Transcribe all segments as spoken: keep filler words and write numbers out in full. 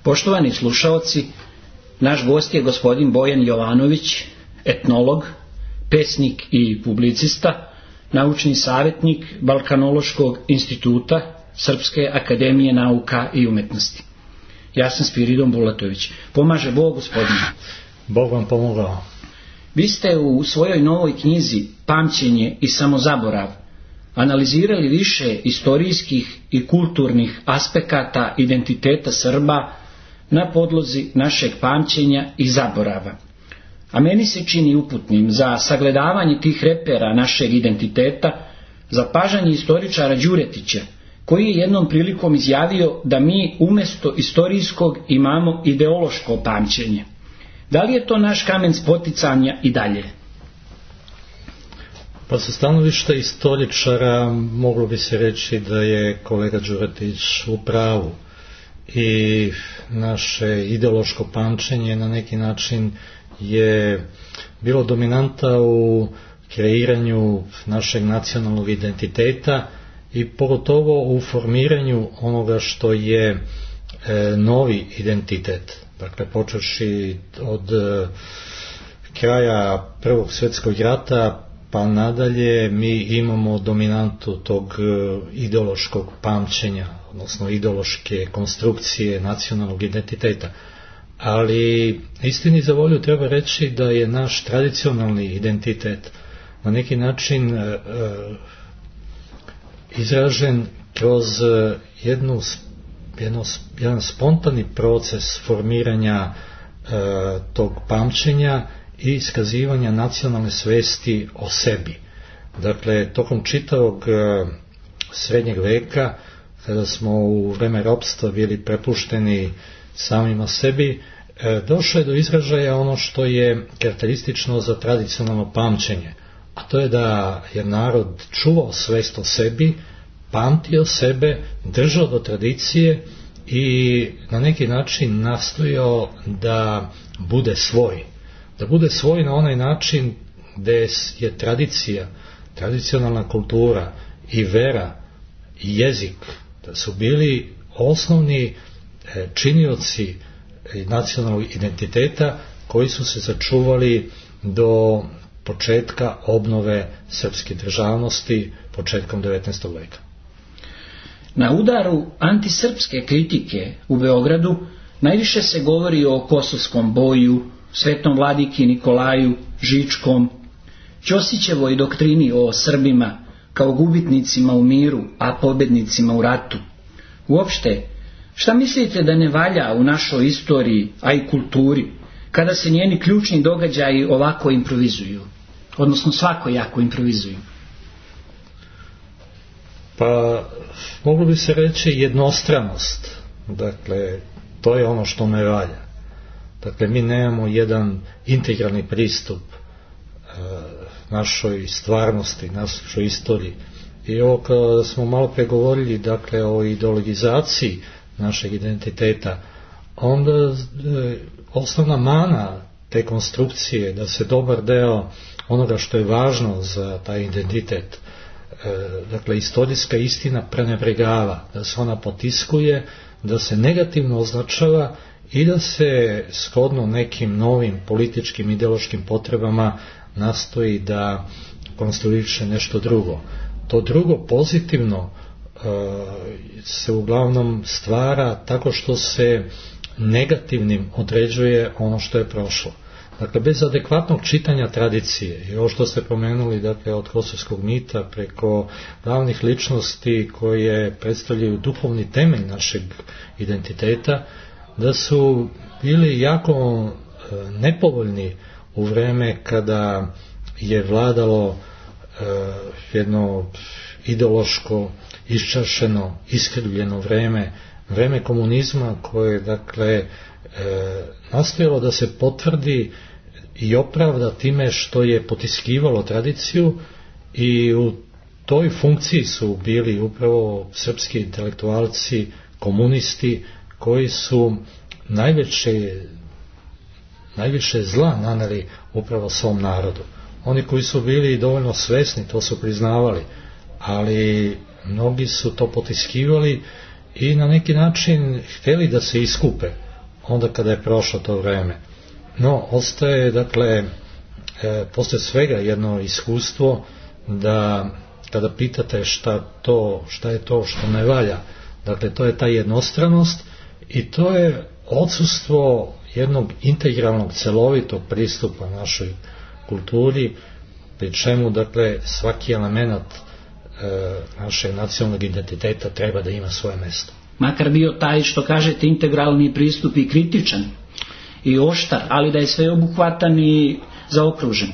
Poštovani slušaoci, naš gost je gospodin Bojan Jovanović, etnolog, pesnik i publicista, naučni savjetnik Balkanološkog instituta Srpske akademije nauka i umetnosti. Ja sam Spiridon Bulatović. Pomaže Bog, gospodine. Bog vam pomogao. Vi ste u svojoj novoj knjizi Pamćenje i samozaborav analizirali više istorijskih i kulturnih aspekata identiteta Srba na podlozi našeg pamćenja i zaborava. A meni se čini uputnim za sagledavanje tih repera našeg identiteta zapažanje istoričara Đuretića, koji je jednom prilikom izjavio da mi umjesto istorijskog imamo ideološko pamćenje. Da li je to naš kamen spoticanja i dalje? Pa sa stanovišta istoričara moglo bi se reći da je kolega Đuretić u pravu i naše ideološko pamćenje na neki način je bilo dominanta u kreiranju našeg nacionalnog identiteta i pogotovo u formiranju onoga što je e, novi identitet. Dakle, počevši od e, kraja Prvog svjetskog rata pa nadalje mi imamo dominantu tog e, ideološkog pamćenja, odnosno ideološke konstrukcije nacionalnog identiteta. Ali istini za volju treba reći da je naš tradicionalni identitet na neki način e, e, izražen kroz jednu, jedno, jedan spontani proces formiranja e, tog pamćenja i iskazivanja nacionalne svesti o sebi. Dakle, tokom čitavog e, srednjeg veka, kada smo u vreme ropstva bili prepušteni samima sebi, e, došlo je do izražaja ono što je karakteristično za tradicionalno pamćenje, a to je da je narod čuvao svest o sebi, pamtio sebe, držao do tradicije i na neki način nastojao da bude svoj. Da bude svoj na onaj način gdje je tradicija, tradicionalna kultura i vera i jezik, da su bili osnovni činioci nacionalnog identiteta koji su se sačuvali do početka obnove srpske državnosti početkom devetnaestog veka. Na udaru antisrpske kritike u Beogradu najviše se govori o Kosovskom boju, Svetom vladiki Nikolaju, Žičkom, Ćosićevoj doktrini o Srbima kao gubitnicima u miru, a pobednicima u ratu. Uopšte, šta mislite da ne valja u našoj istoriji, a i kulturi, kada se njeni ključni događaji ovako improvizuju, odnosno svakojako improvizuju? Pa, moglo bi se reći jednostranost. Dakle, to je ono što ne valja. Dakle, mi nemamo jedan integralni pristup e, našoj stvarnosti, našoj istoriji. I ovo kada smo malo pregovorili, dakle, o ideologizaciji našeg identiteta, onda e, osnovna mana te konstrukcije da se dobar deo onoga što je važno za taj identitet, e, dakle istorijska istina prenebregava, da se ona potiskuje, da se negativno označava i da se shodno nekim novim političkim ideološkim potrebama nastoji da konstruiše nešto drugo. To drugo pozitivno se uglavnom stvara tako što se negativnim određuje ono što je prošlo. Dakle, bez adekvatnog čitanja tradicije, i ovo što ste pomenuli, dakle, od kosovskog mita preko glavnih ličnosti koje predstavljaju duhovni temelj našeg identiteta, da su bili jako nepovoljni u vreme kada je vladalo jedno ideološko, iščašeno, iskrivljeno vreme, vreme komunizma koje, dakle, e, nastojalo da se potvrdi i opravda time što je potiskivalo tradiciju i u toj funkciji su bili upravo srpski intelektualci, komunisti koji su najveće, najviše zla naneli upravo svom narodu. Oni koji su bili dovoljno svesni, to su priznavali, ali mnogi su to potiskivali i na neki način htjeli da se iskupe onda kada je prošlo to vreme. No, ostaje, dakle, e, poslije svega jedno iskustvo da kada pitate šta to, šta je to što ne valja, dakle, to je ta jednostranost i to je odsustvo jednog integralnog, celovitog pristupa našoj kulturi, pri čemu, dakle, svaki element e, našeg nacionalnog identiteta treba da ima svoje mjesto. Makar bio taj, što kažete, integralni pristup i kritičan i oštar, ali da je sveobuhvatan i zaokružen.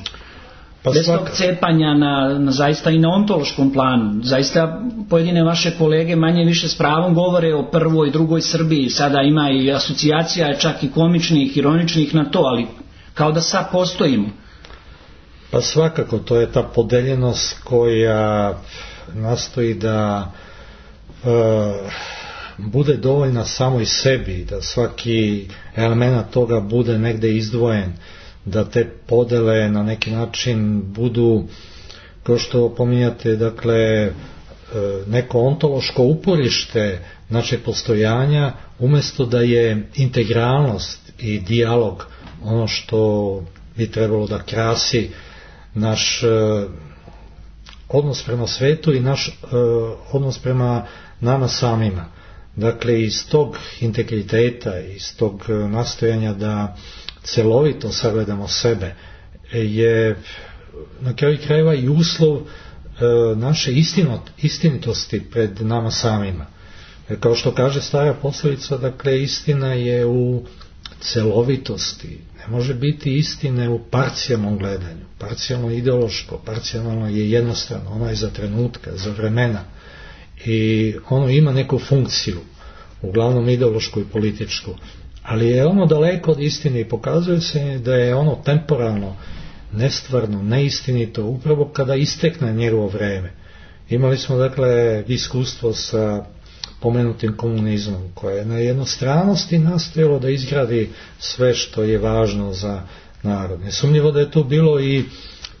Pa bez svaka... tog cepanja na, na zaista i na ontološkom planu. Zaista pojedine vaše kolege manje više s pravom govore o prvoj i drugoj Srbiji. Sada ima i asocijacija, čak i komičnih, ironičnih na to, ali kao da sad postojimo. Pa svakako, to je ta podeljenost koja nastoji da e, bude dovoljna samo i sebi, da svaki element toga bude negde izdvojen, da te podele na neki način budu, kao što pominjate, dakle, neko ontološko uporište našeg postojanja, umjesto da je integralnost i dijalog ono što bi trebalo da krasi naš odnos prema svetu i naš odnos prema nama samima. Dakle, iz tog integriteta, iz tog nastojanja da celovito sagledamo sebe je na kraju krajeva i uslov e, naše istinot, istinitosti pred nama samima. Jer kao što kaže stara poslovica, dakle, istina je u celovitosti. Ne može biti istine u parcijalnom gledanju. Parcijalno ideološko, parcijalno je jednostrano, ono je za trenutka, za vremena i ono ima neku funkciju, uglavnom ideološku i političku. Ali je ono daleko od istine i pokazuje se da je ono temporalno, nestvarno, neistinito upravo kada istekne njegovo vreme. Imali smo, dakle, iskustvo sa pomenutim komunizmom koje je na jednostranosti nastojalo da izgradi sve što je važno za narod. Nesumnjivo da je tu bilo i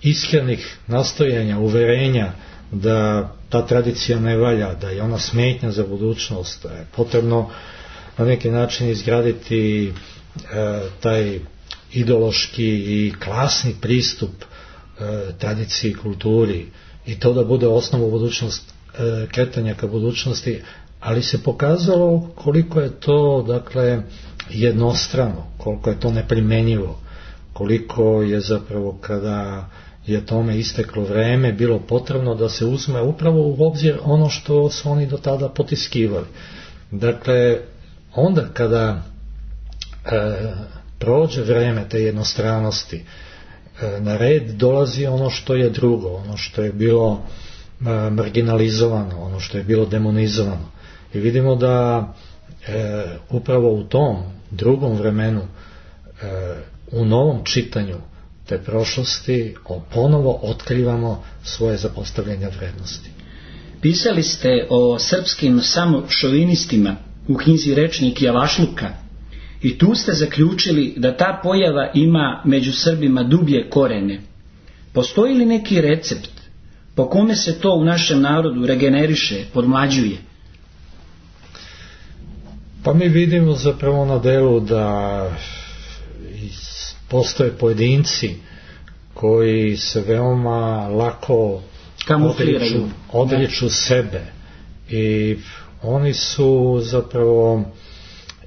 iskrenih nastojanja, uverenja da ta tradicija ne valja, da je ona smetnja za budućnost, da je potrebno na neki način izgraditi e, taj ideološki i klasni pristup e, tradiciji i kulturi i to da bude osnova budućnost, e, kretanja ka budućnosti, ali se pokazalo koliko je to, dakle, jednostrano, koliko je to neprimjenjivo, koliko je zapravo kada je tome isteklo vreme bilo potrebno da se uzme upravo u obzir ono što su oni do tada potiskivali. Dakle, onda kada e, prođe vreme te jednostranosti, e, na red dolazi ono što je drugo, ono što je bilo e, marginalizovano, ono što je bilo demonizovano. I vidimo da e, upravo u tom drugom vremenu, e, u novom čitanju te prošlosti, ponovo otkrivamo svoje zapostavljanja vrednosti. Pisali ste o srpskim samošovinistima u knjizi Rečnik javašluka i tu ste zaključili da ta pojava ima među Srbima dublje korene. Postoji li neki recept po kome se to u našem narodu regeneriše, podmlađuje? Pa mi vidimo zapravo na delu da postoje pojedinci koji se veoma lako odriču, odriču sebe i oni su zapravo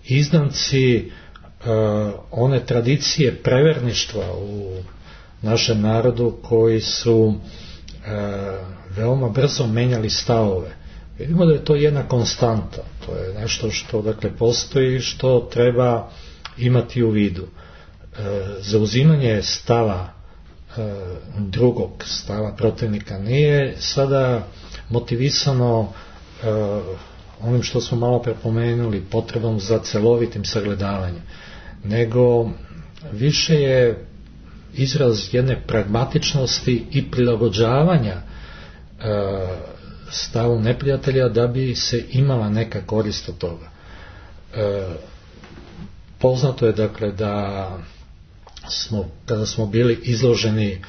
izdanci uh, one tradicije preverništva u našem narodu koji su uh, veoma brzo menjali stavove. Vidimo da je to jedna konstanta, to je nešto što, dakle, postoji, što treba imati u vidu. Uh, zauzimanje stava uh, drugog, stava protivnika nije sada motivisano uh, onim što smo malo prepomenuli, potrebom za celovitim sagledavanjem, nego više je izraz jedne pragmatičnosti i prilagođavanja e, stavu neprijatelja da bi se imala neka korist od toga. E, poznato je, dakle, da smo, kada smo bili izloženi e,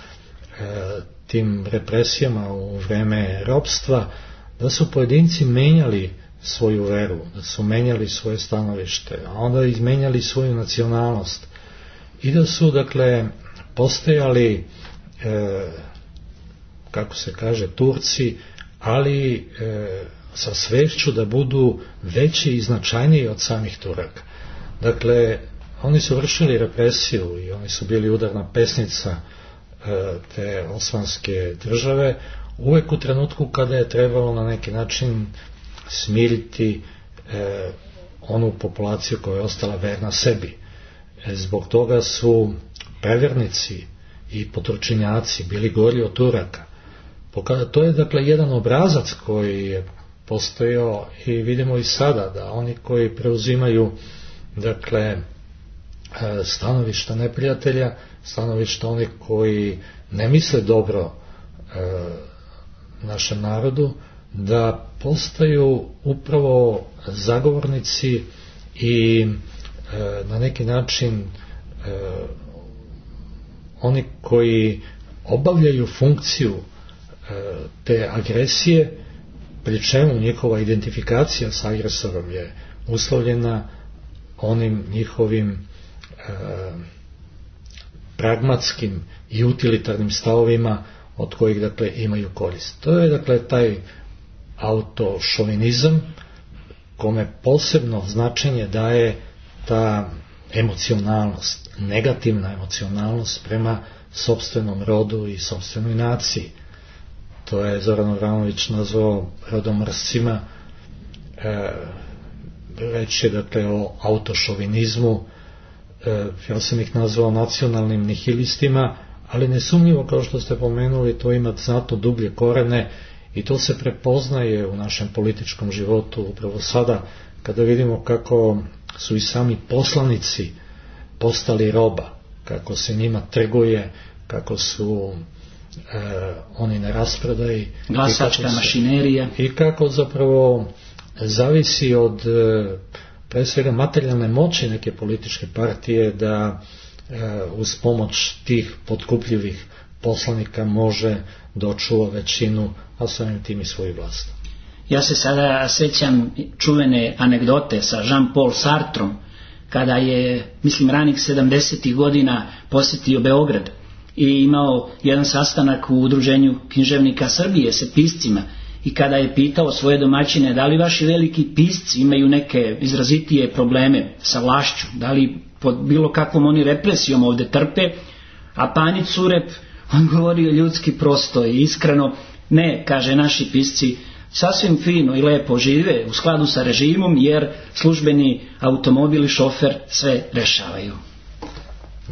tim represijama u vreme ropstva, da su pojedinci menjali svoju veru, da su menjali svoje stanovište, a onda izmenjali svoju nacionalnost i da su, dakle, postajali, e, kako se kaže, Turci, ali e, sa svešću da budu veći i značajniji od samih Turaka. Dakle, oni su vršili represiju i oni su bili udarna pesnica e, te osmanske države, uvek u trenutku kada je trebalo na neki način smiriti e, onu populaciju koja je ostala verna sebi. E, zbog toga su prevernici i poturčinjaci bili gori od Turaka. To je, dakle, jedan obrazac koji je postojao i vidimo i sada da oni koji preuzimaju, dakle, stanovišta neprijatelja, stanovišta onih koji ne misle dobro e, našem narodu, da postaju upravo zagovornici i e, na neki način e, oni koji obavljaju funkciju e, te agresije, pri čemu njihova identifikacija s agresorom je uslovljena onim njihovim e, pragmatskim i utilitarnim stavovima od kojih, dakle, imaju korist. To je, dakle, taj autošovinizam kome posebno značenje daje ta emocionalnost, negativna emocionalnost prema sopstvenom rodu i sopstvenoj naciji. To je Zoran Avramović nazvao rodomrscima, e, reč je, dakle, o autošovinizmu, e, ja sam ih nazvao nacionalnim nihilistima, ali nesumnjivo, kao što ste pomenuli, to ima znatno dublje korene i to se prepoznaje u našem političkom životu upravo sada, kada vidimo kako su i sami poslanici postali roba, kako se njima trguje, kako su e, oni na rasprodaji, glasačka mašinerija, i kako zapravo zavisi od e, pre svega materijalne moći neke političke partije da e, uz pomoć tih potkupljivih poslanika može da očuva većinu, a samim tim i svoju vlast. Ja se sada sećam čuvene anegdote sa Jean-Paul Sartrom, kada je, mislim, ranih sedamdesetih godina posjetio Beograd i imao jedan sastanak u Udruženju književnika Srbije sa piscima, i kada je pitao svoje domaćine da li vaši veliki pisci imaju neke izrazitije probleme sa vlašću, da li pod bilo kakvom oni represijom ovde trpe, a Panić Surep odgovorio ljudski prosto i iskreno: ne, kaže, naši pisci sasvim fino i lepo žive u skladu sa režimom, jer službeni automobil i šofer sve rešavaju.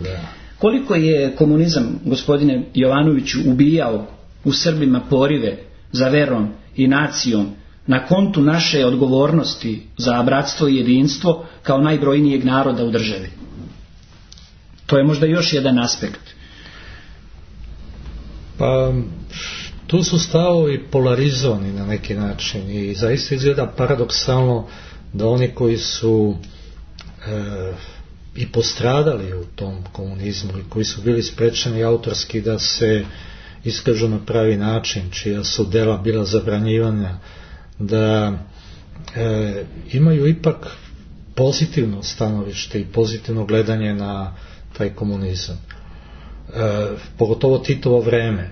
Da. Koliko je komunizam, gospodine Jovanoviću, ubijao u Srbima porive za verom i nacijom na kontu naše odgovornosti za bratstvo i jedinstvo kao najbrojnijeg naroda u državi? To je možda još jedan aspekt. Pa tu su stavovi polarizovani na neki način i zaista izgleda paradoksalno da oni koji su e, i postradali u tom komunizmu i koji su bili sprečeni autorski da se iskažu na pravi način, čija su dela bila zabranjivana, da e, imaju ipak pozitivno stanovište i pozitivno gledanje na taj komunizam. E, pogotovo Titovo vreme.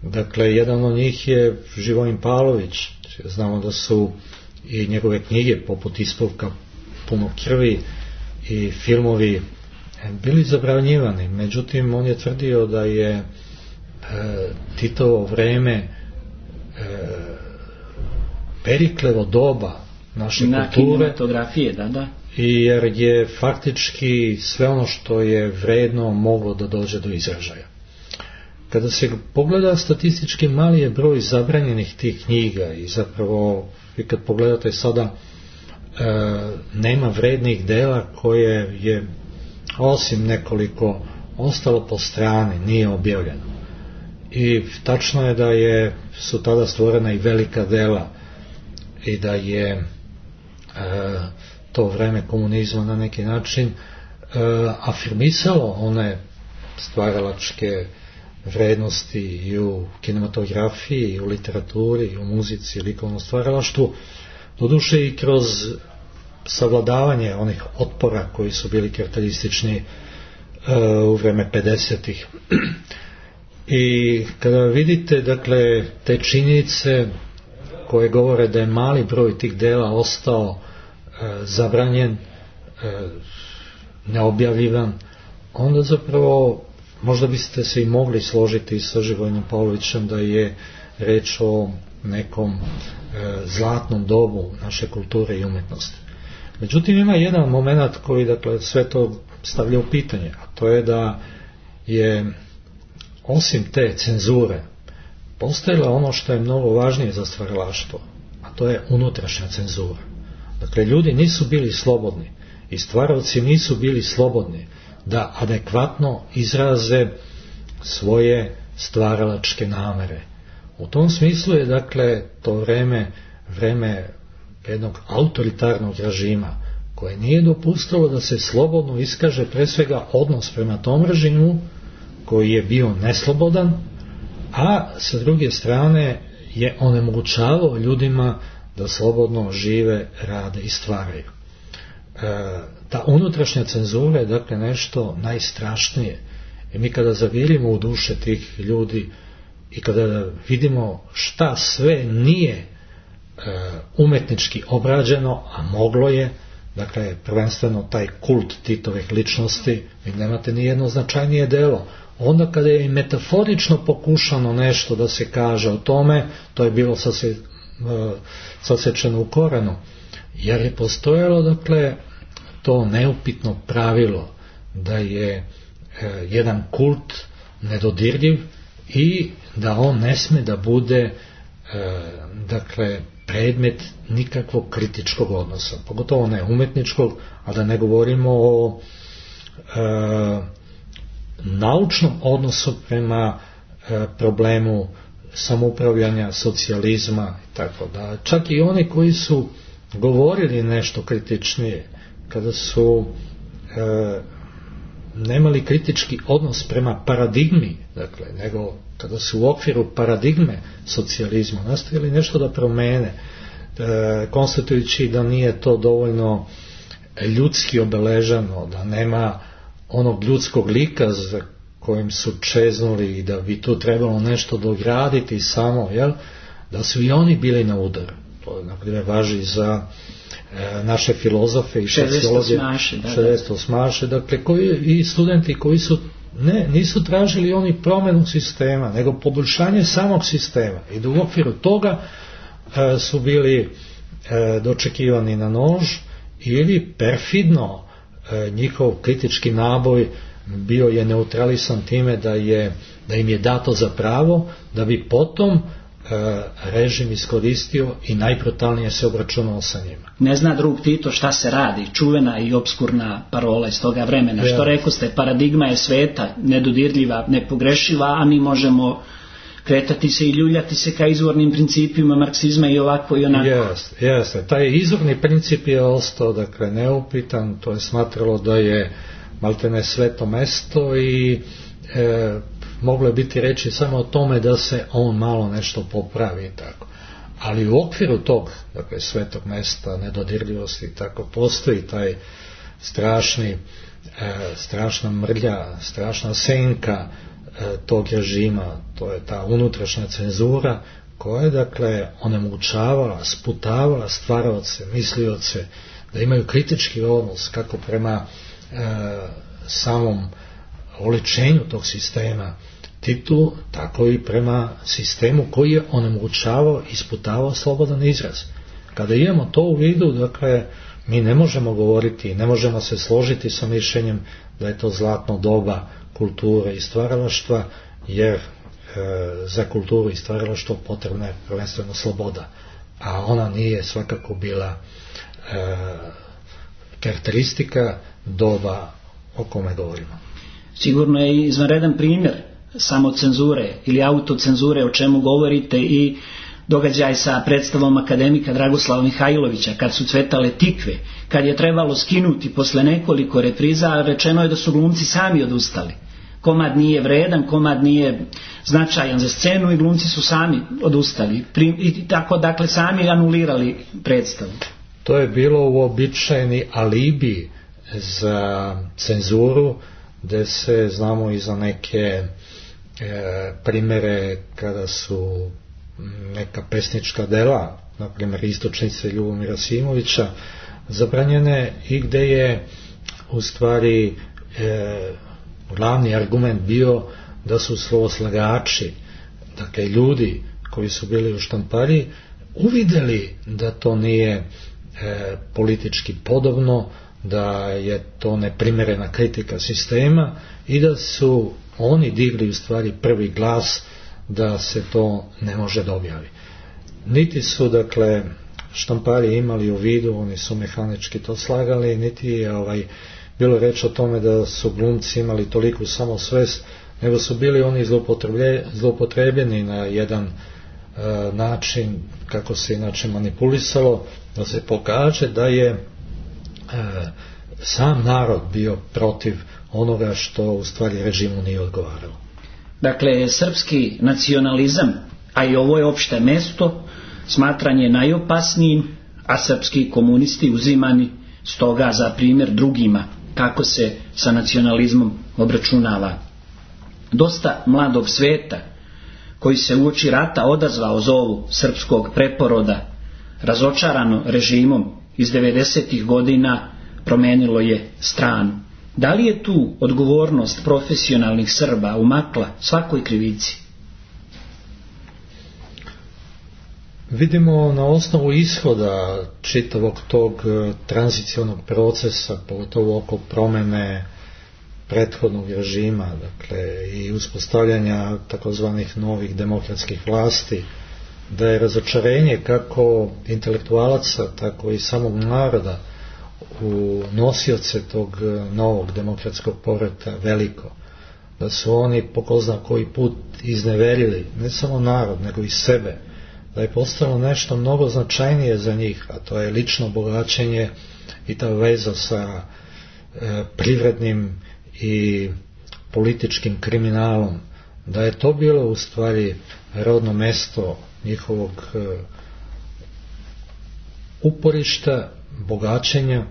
Dakle, jedan od njih je Živojin Pavlović. Znamo da su i njegove knjige poput Ispovka puno krvi i filmovi bili zabranjivani. Međutim, on je tvrdio da je e, Titovo vreme e, Periklevo doba naše na kulture, kinematografije, da, da. I jer je faktički sve ono što je vredno moglo da dođe do izražaja. Kada se pogleda statistički, mali je broj zabranjenih tih knjiga i zapravo vi kad pogledate sada e, nema vrednih dela koje je osim nekoliko ostalo po strani, nije objavljeno. I tačno je da je, su tada stvorena i velika dela i da je e, to vreme komunizma na neki način e, afirmisalo one stvaralačke vrednosti i u kinematografiji, i u literaturi, i u muzici, i likovnom stvaralaštvu Doduše i kroz savladavanje onih otpora koji su bili karakteristični uh, u vreme pedesetih. I kada vidite, dakle, te činjenice koje govore da je mali broj tih dela ostao uh, zabranjen, uh, neobjavljivan, onda zapravo možda biste se i mogli složiti sa Živojnom Pavlovićem da je reč o nekom e, zlatnom dobu naše kulture i umjetnosti. Međutim, ima jedan moment koji, dakle, sve to stavlja u pitanje, a to je da je osim te cenzure postojalo ono što je mnogo važnije za stvaralaštvo, a to je unutrašnja cenzura. Dakle, ljudi nisu bili slobodni i stvaraoci nisu bili slobodni da adekvatno izraze svoje stvaralačke namere. U tom smislu je, dakle, to vreme, vreme jednog autoritarnog režima koje nije dopustilo da se slobodno iskaže pre svega odnos prema tom režimu koji je bio neslobodan, a sa druge strane je onemogućavao ljudima da slobodno žive, rade i stvaraju. E, ta unutrašnja cenzura je, dakle, nešto najstrašnije. I mi kada zavirimo u duše tih ljudi i kada vidimo šta sve nije e, umetnički obrađeno, a moglo je, dakle, prvenstveno taj kult Titovih ličnosti, vi nemate ni jedno značajnije delo. Onda kada je i metaforično pokušano nešto da se kaže o tome, to je bilo sase, e, sasečeno u korenu, jer je postojalo, dakle, to neupitno pravilo da je e, jedan kult nedodirljiv i da on ne sme da bude e, dakle, predmet nikakvog kritičkog odnosa, pogotovo ne umetničkog, a da ne govorimo o e, naučnom odnosu prema e, problemu samoupravljanja, socijalizma i tako da. Čak i oni koji su govorili nešto kritičnije, kada su e, nemali kritički odnos prema paradigmi, dakle, nego kada su u okviru paradigme socijalizma nastavili nešto da promene, e, konstatujući da nije to dovoljno ljudski obeležano, da nema onog ljudskog lika za kojim su čeznuli i da bi tu trebalo nešto dograditi samo, jel? Da su i oni bili na udaru. To, na primjer, važi za e, naše filozofe i sociologe, šezdeset osmaše, dakle, koji, i studenti koji su ne, nisu tražili oni promjenu sistema, nego poboljšanje samog sistema i da u okviru toga e, su bili e, dočekivani na nož ili perfidno e, njihov kritički naboj bio je neutralisan time da, je, da im je dato za pravo da bi potom režim iskoristio i najbrutalnije se obračunao sa njima. Ne zna drug Tito šta se radi, čuvena i obskurna parola iz toga vremena. Ja. Što rekoste, paradigma je sveta, nedodirljiva, nepogrešiva, a mi možemo kretati se i ljuljati se ka izvornim principima marksizma i ovako i onako. Jeste, jeste. Taj izvorni princip je ostao, dakle, neupitan, to je smatralo da je maltene sveto mesto i e, moglo je biti reći samo o tome da se on malo nešto popravi i tako. Ali u okviru tog, dakle, svetog mesta, nedodirljivosti, tako, postoji taj strašni, e, strašna mrlja, strašna senka e, tog režima, to je ta unutrašnja cenzura koja je, dakle, onemogućavala, sputavala stvaraoce, mislioce, da imaju kritički odnos kako prema e, samom oličenju tog sistema Titu, tako i prema sistemu koji je onemogućavao i sputavao slobodan izraz. Kada imamo to u vidu, dakle, mi ne možemo govoriti, ne možemo se složiti sa mišljenjem da je to zlatno doba kulture i stvaralaštva, jer e, za kulturu i stvaralaštvo potrebna je prvenstveno sloboda, a ona nije svakako bila e, karakteristika doba o kome govorimo. Sigurno je i izvanredan primjer samocenzure ili autocenzure o čemu govorite i događaj sa predstavom akademika Dragoslava Mihajlovića kad su cvetale tikve, kad je trebalo skinuti posle nekoliko repriza, rečeno je da su glumci sami odustali. komad nije vredan, komad nije značajan za scenu i glumci su sami odustali i tako dakle sami anulirali predstavu. To je bilo uobičajeni alibi za cenzuru, gdje se znamo i za neke e, primjere kada su neka pesnička dela, na primjer Istočnice Ljubomira Simovića, zabranjene i gdje je u stvari e, glavni argument bio da su slovoslagači, dakle ljudi koji su bili u Štampariji, uvidjeli da to nije e, politički podobno, da je to neprimjerena kritika sistema i da su oni digli u stvari prvi glas da se to ne može da objavi. Niti su dakle Štampari imali u vidu, oni su mehanički to slagali, niti je ovaj, bilo reč o tome da su glumci imali toliku samosvest, nego su bili oni zloupotrebljeni na jedan e, način kako se inače manipulisalo, da se pokaže da je e, sam narod bio protiv onoga što u stvari režimu nije odgovaralo. Dakle, srpski nacionalizam, a i ovo je opšte mesto, smatran je najopasnijim, a srpski komunisti uzimani stoga za primjer drugima kako se sa nacionalizmom obračunava. Dosta mladog sveta koji se uoči rata odazvao zovu srpskog preporoda, razočarano režimom iz devedesetih godina, promenilo je stranu. Da li je tu odgovornost profesionalnih Srba umakla svakoj krivici? Vidimo na osnovu ishoda čitavog tog tranzicionog procesa, pogotovo oko promjene prethodnog režima, dakle i uspostavljanja takozvanih novih demokratskih vlasti, da je razočarenje kako intelektualaca, tako i samog naroda u nosioce tog novog demokratskog poretka veliko, da su oni po ko zna koji put izneverili ne samo narod nego i sebe, da je postalo nešto mnogo značajnije za njih, a to je lično bogaćenje i ta veza sa e, privrednim i političkim kriminalom, da je to bilo u stvari rodno mesto njihovog e, uporišta, bogaćenja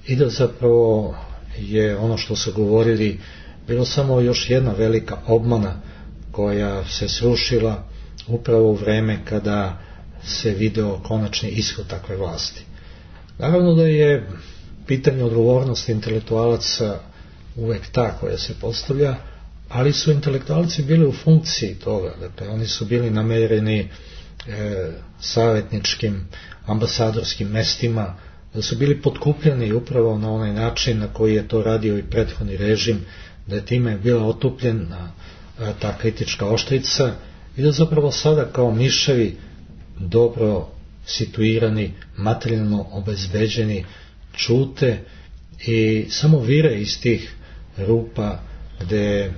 i da zapravo je ono što su govorili bilo samo još jedna velika obmana koja se srušila upravo u vreme kada se video konačni ishod takve vlasti. Naravno da je pitanje odgovornosti intelektualaca uvek ta koja se postavlja, ali su intelektualci bili u funkciji toga, dakle oni su bili namereni e, savjetničkim, ambasadorskim mestima, da su bili potkupljeni upravo na onaj način na koji je to radio i prethodni režim, da je time bila otupljena ta kritička oštrica i da zapravo sada kao miševi dobro situirani, materijalno obezbeđeni, čute i samo vire iz tih rupa gde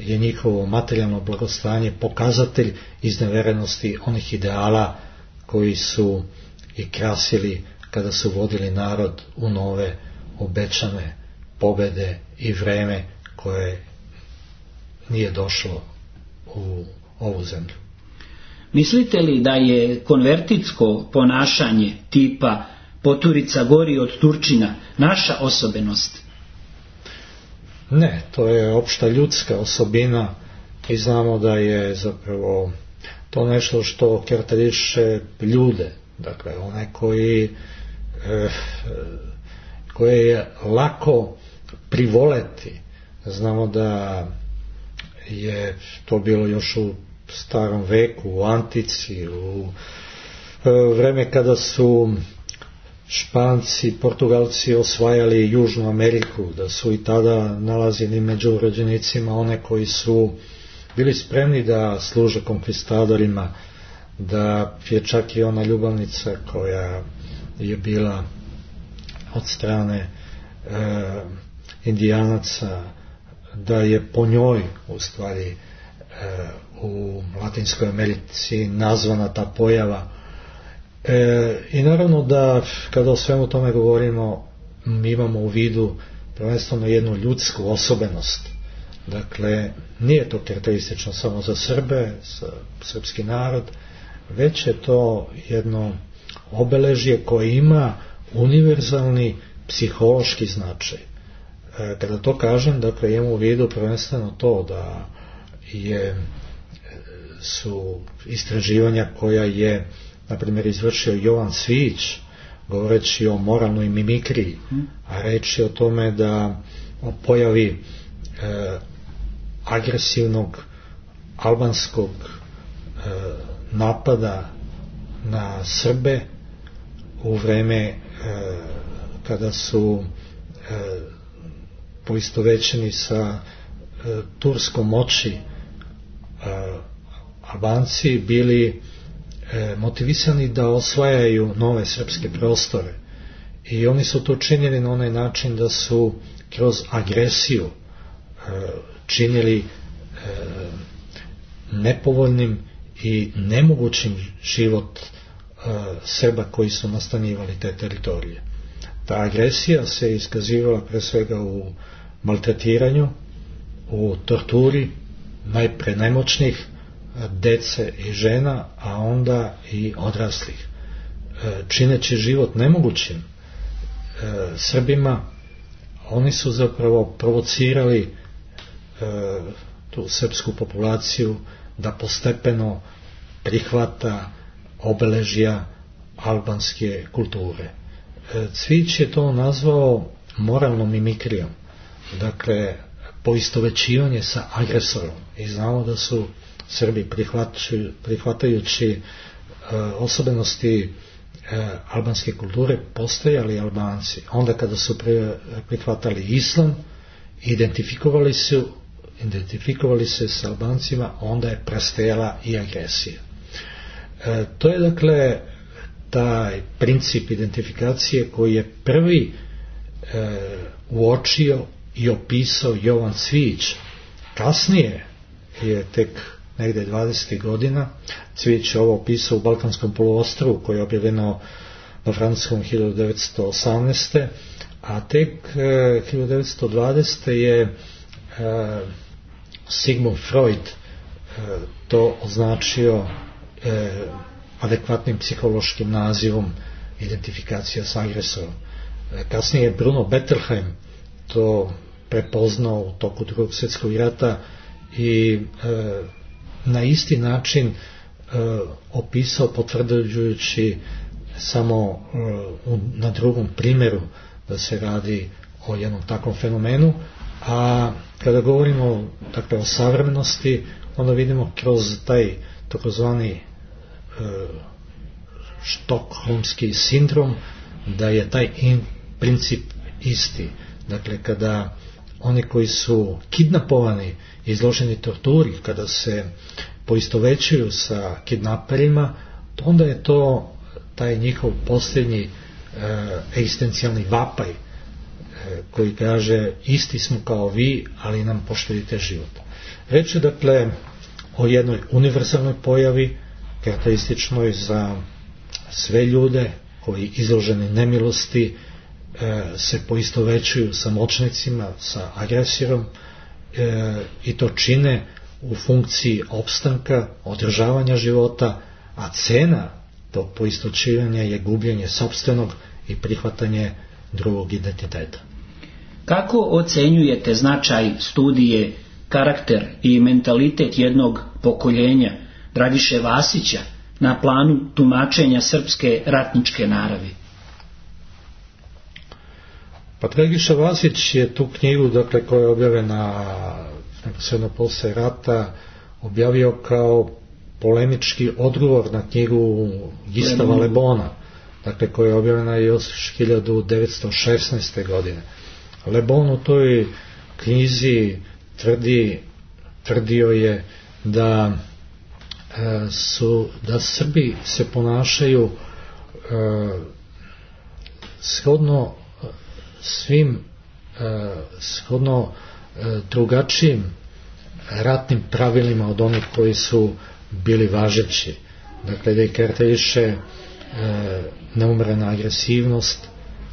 je njihovo materijalno blagostanje pokazatelj izneverenosti onih ideala koji su i krasili kada su vodili narod u nove obećane pobede i vreme koje nije došlo u ovu zemlju. Mislite li da je konvertitsko ponašanje tipa poturica gori od Turčina naša osobenost? Ne, to je opšta ljudska osobina i znamo da je zapravo to nešto što karakteriše ljude, dakle one koji eh, koje je lako privoleti. Znamo da je to bilo još u starom veku, u antici, u vreme kada su Španci, Portugalci osvajali Južnu Ameriku, da su i tada nalazili među rođenicima one koji su bili spremni da služe konkvistadorima, da je čak i ona ljubavnica koja je bila od strane e, indijanaca, da je po njoj u stvari e, u Latinskoj Americi nazvana ta pojava. E, I naravno da kada o svemu tome govorimo, mi imamo u vidu prvenstveno jednu ljudsku osobenost, Dakle, nije to karakteristično samo za Srbe, za srpski narod, već je to jedno obeležje koje ima univerzalni psihološki značaj. E, kada to kažem, dakle, imam u vidu prvenstveno to da je, su istraživanja koja je, na primjer, izvršio Jovan Cvijić, govoreći o moralnoj mimikriji, a reč je o tome da o pojavi e, agresivnog albanskog e, napada na Srbe u vreme e, kada su e, poistovećeni sa e, turskom moći e, Albanci bili e, motivisani da osvajaju nove srpske prostore, i oni su to činili na onaj način da su kroz agresiju e, činili e, nepovoljnim i nemogućim život e, Srba koji su nastanjivali te teritorije. Ta agresija se iskazivala pre svega u maltretiranju, u torturi, najpre nemoćnih, dece i žena, a onda i odraslih, čineći život nemogućim Srbima. Oni su zapravo provocirali tu srpsku populaciju da postepeno prihvata obeležja albanske kulture. Cvijić je to nazvao moralnom mimikrijom, dakle poistovećivanje sa agresorom, i znamo da su Srbi prihvatajući e, osobenosti e, albanske kulture postajali Albanci. Onda kada su pre, prihvatali islam, identifikovali su identifikovali se s Albancima, onda je prestajala i agresija. E, to je dakle taj princip identifikacije koji je prvi e, uočio i opisao Jovan Cvijić. Kasnije je tek negde dvadesetih godina Cvijić ovo opisao u Balkanskom poluostrvu, koje je objavljeno na francuskom hiljadu devetsto osamnaeste. A tek e, hiljadu devetsto dvadesete je e, Sigmund Freud e, to označio e, adekvatnim psihološkim nazivom identifikacija s agresorom. E, kasnije je Bruno Bettelheim to prepoznao u toku Drugog svjetskog rata i e, na isti način e, opisao, potvrđujući samo e, u, na drugom primjeru da se radi o jednom takvom fenomenu. A kada govorimo, dakle, o savremenosti, onda vidimo kroz taj takozvani e, štokholmski sindrom da je taj in, princip isti. Dakle, kada oni koji su kidnapovani, izloženi torturi, kada se poistovećuju sa kidnaperima, onda je to taj njihov posljednji e, egzistencijalni vapaj, e, koji kaže isti smo kao vi, ali nam poštedite život. Reč je dakle o jednoj univerzalnoj pojavi, karakterističnoj za sve ljude koji izloženi nemilosti e, se poistovećuju sa moćnicima, sa agresorom, e, i to čine u funkciji opstanka, održavanja života, a cena tog poistovećivanja je gubljenje sopstvenog i prihvatanje drugog identiteta. Kako ocenjujete značaj studije karakter i mentalitet jednog pokoljenja Dragiše Vasića na planu tumačenja srpske ratničke naravi? Pa Dragiša Vasić je tu knjigu, dakle, koja je objavljena neposredno posle rata, objavio kao polemički odgovor na knjigu Gistava Lebona, dakle, koja je objavljena još hiljadu devetsto šesnaeste. godine. Le Bon u toj knjizi tvrdi, tvrdio je da e, su da Srbi se ponašaju e, shodno svim e, shodno e, drugačijim ratnim pravilima od onih koji su bili važeći. Dakle, da ih karakteriše e, neumrena agresivnost,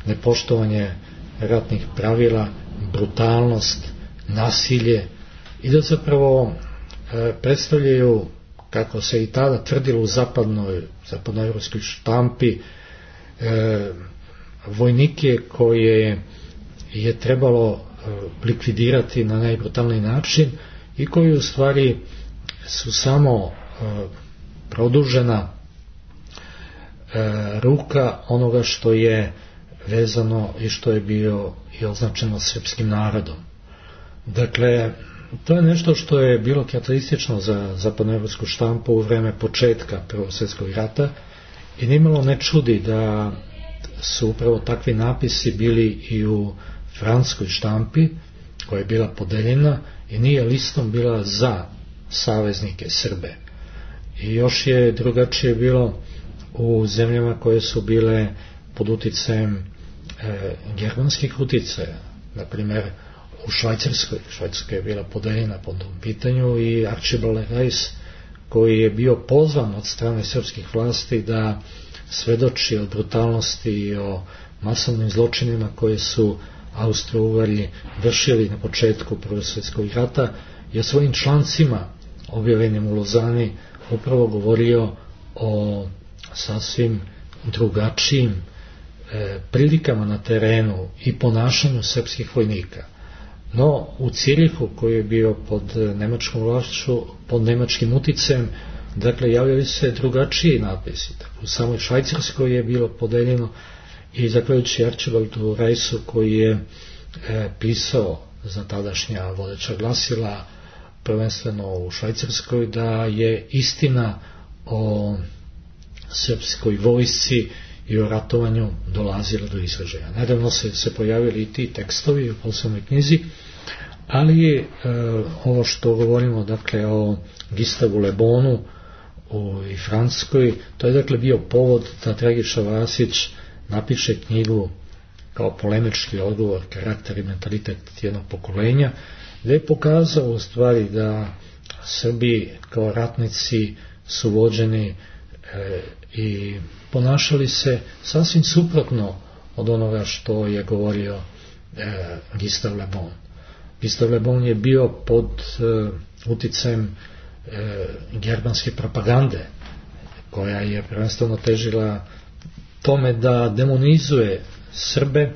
nepoštovanje ratnih pravila, brutalnost, nasilje, i da zapravo e, predstavljaju, kako se i tada tvrdilo u zapadnoj, zapadnoevropskoj štampi, e, vojnike koje je trebalo e, likvidirati na najbrutalniji način i koji u stvari su samo e, produžena e, ruka onoga što je vezano i što je bio i označeno srpskim narodom. Dakle, to je nešto što je bilo karakteristično za zapadnoevropsku štampu u vreme početka Prvog svjetskog rata i nimalo ne čudi da su upravo takvi napisi bili i u francuskoj štampi koja je bila podeljena i nije listom bila za saveznike Srbe. I još je drugačije bilo u zemljama koje su bile pod uticajem e, germanskih uticaja, na primjer u Švajcarskoj. Švajcarska je bila podeljena po tom pitanju i Archibald Rice, koji je bio pozvan od strane srpskih vlasti da svedoči o brutalnosti i o masovnim zločinima koje su Austro-Ugari vršili na početku Prvog svjetskog rata, je svojim člancima objavljenim u Lozani upravo govorio o sasvim drugačijim e, prilikama na terenu i ponašanju srpskih vojnika. No, u Cirihu, koji je bio pod nemačkom vlašću, pod nemačkim uticajem, dakle, javljali se drugačiji napisi. U samoj Švajcarskoj je bilo podeljeno i zahvaljujući Archibaldu Riceu, koji je e, pisao za tadašnja vodeća glasila, prvenstveno u Švajcarskoj, da je istina o srpskoj vojsci i o ratovanju dolazila do izražaja. Nedavno se, se pojavili i ti tekstovi u poslovnoj knjizi, ali e, ovo što govorimo, dakle, o Gistavu Le Bonu u i Francuskoj, to je dakle bio povod da Dragiša Vasić napiše knjigu kao polemički odgovor, karakter i mentalitet jednog pokolenja, gdje je pokazao u stvari da Srbi kao ratnici su vođeni e, i ponašali se sasvim suprotno od onoga što je govorio e, Gistav Le Bon. Gistav Le Bon je bio pod e, uticajem e, germanske propagande, koja je prvenstveno težila tome da demonizuje Srbe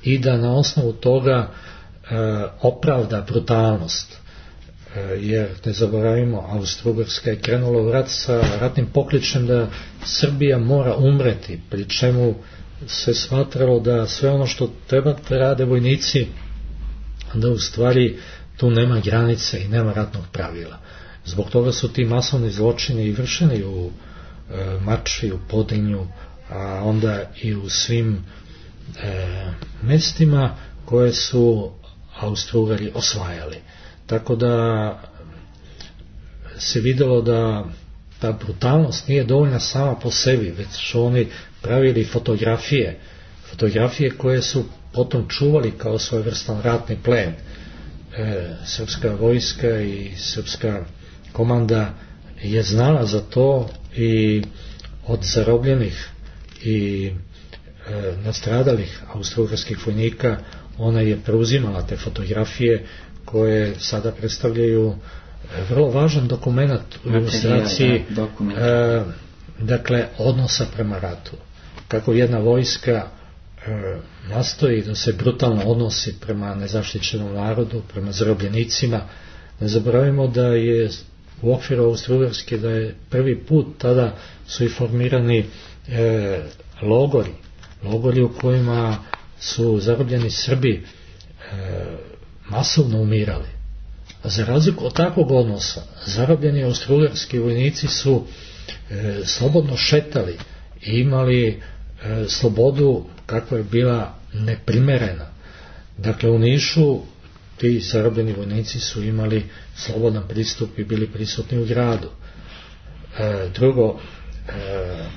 i da na osnovu toga e, opravda brutalnost. E, jer, ne zaboravimo, Austro-Ugarska je krenula u rat sa ratnim pokličem da Srbija mora umreti, pri čemu se smatralo da sve ono što treba da rade vojnici, da u stvari tu nema granice i nema ratnog pravila. Zbog toga su ti masovni zločini i vršeni u e, Mačvi, u Podrinju, a onda i u svim e, mestima koje su Austro-Ugari osvajali. Tako da se videlo da ta brutalnost nije dovoljna sama po sebi, već su oni pravili fotografije, fotografije koje su potom čuvali kao svojevrstan ratni plen. E, srpska vojska i srpska komanda je znala za to i od zarobljenih i e, nastradalih austro-ugarskih vojnika ona je preuzimala te fotografije koje sada predstavljaju vrlo važan dokument u ilustraciji e, dakle odnosa prema ratu. Kako jedna vojska e, nastoji da se brutalno odnosi prema nezaštićenom narodu, prema zarobljenicima. Ne zaboravimo da je u okviru Austro-Ugarske da je prvi put tada su i formirani e, logori, logori u kojima su zarobljeni Srbi e, masovno umirali. A za razliku od takvog odnosa, zarobljeni austro-ugarski vojnici su e, slobodno šetali i imali e, slobodu kakva je bila neprimerena. Dakle, u Nišu ti zarobljeni vojnici su imali slobodan pristup i bili prisutni u gradu. E, drugo, e,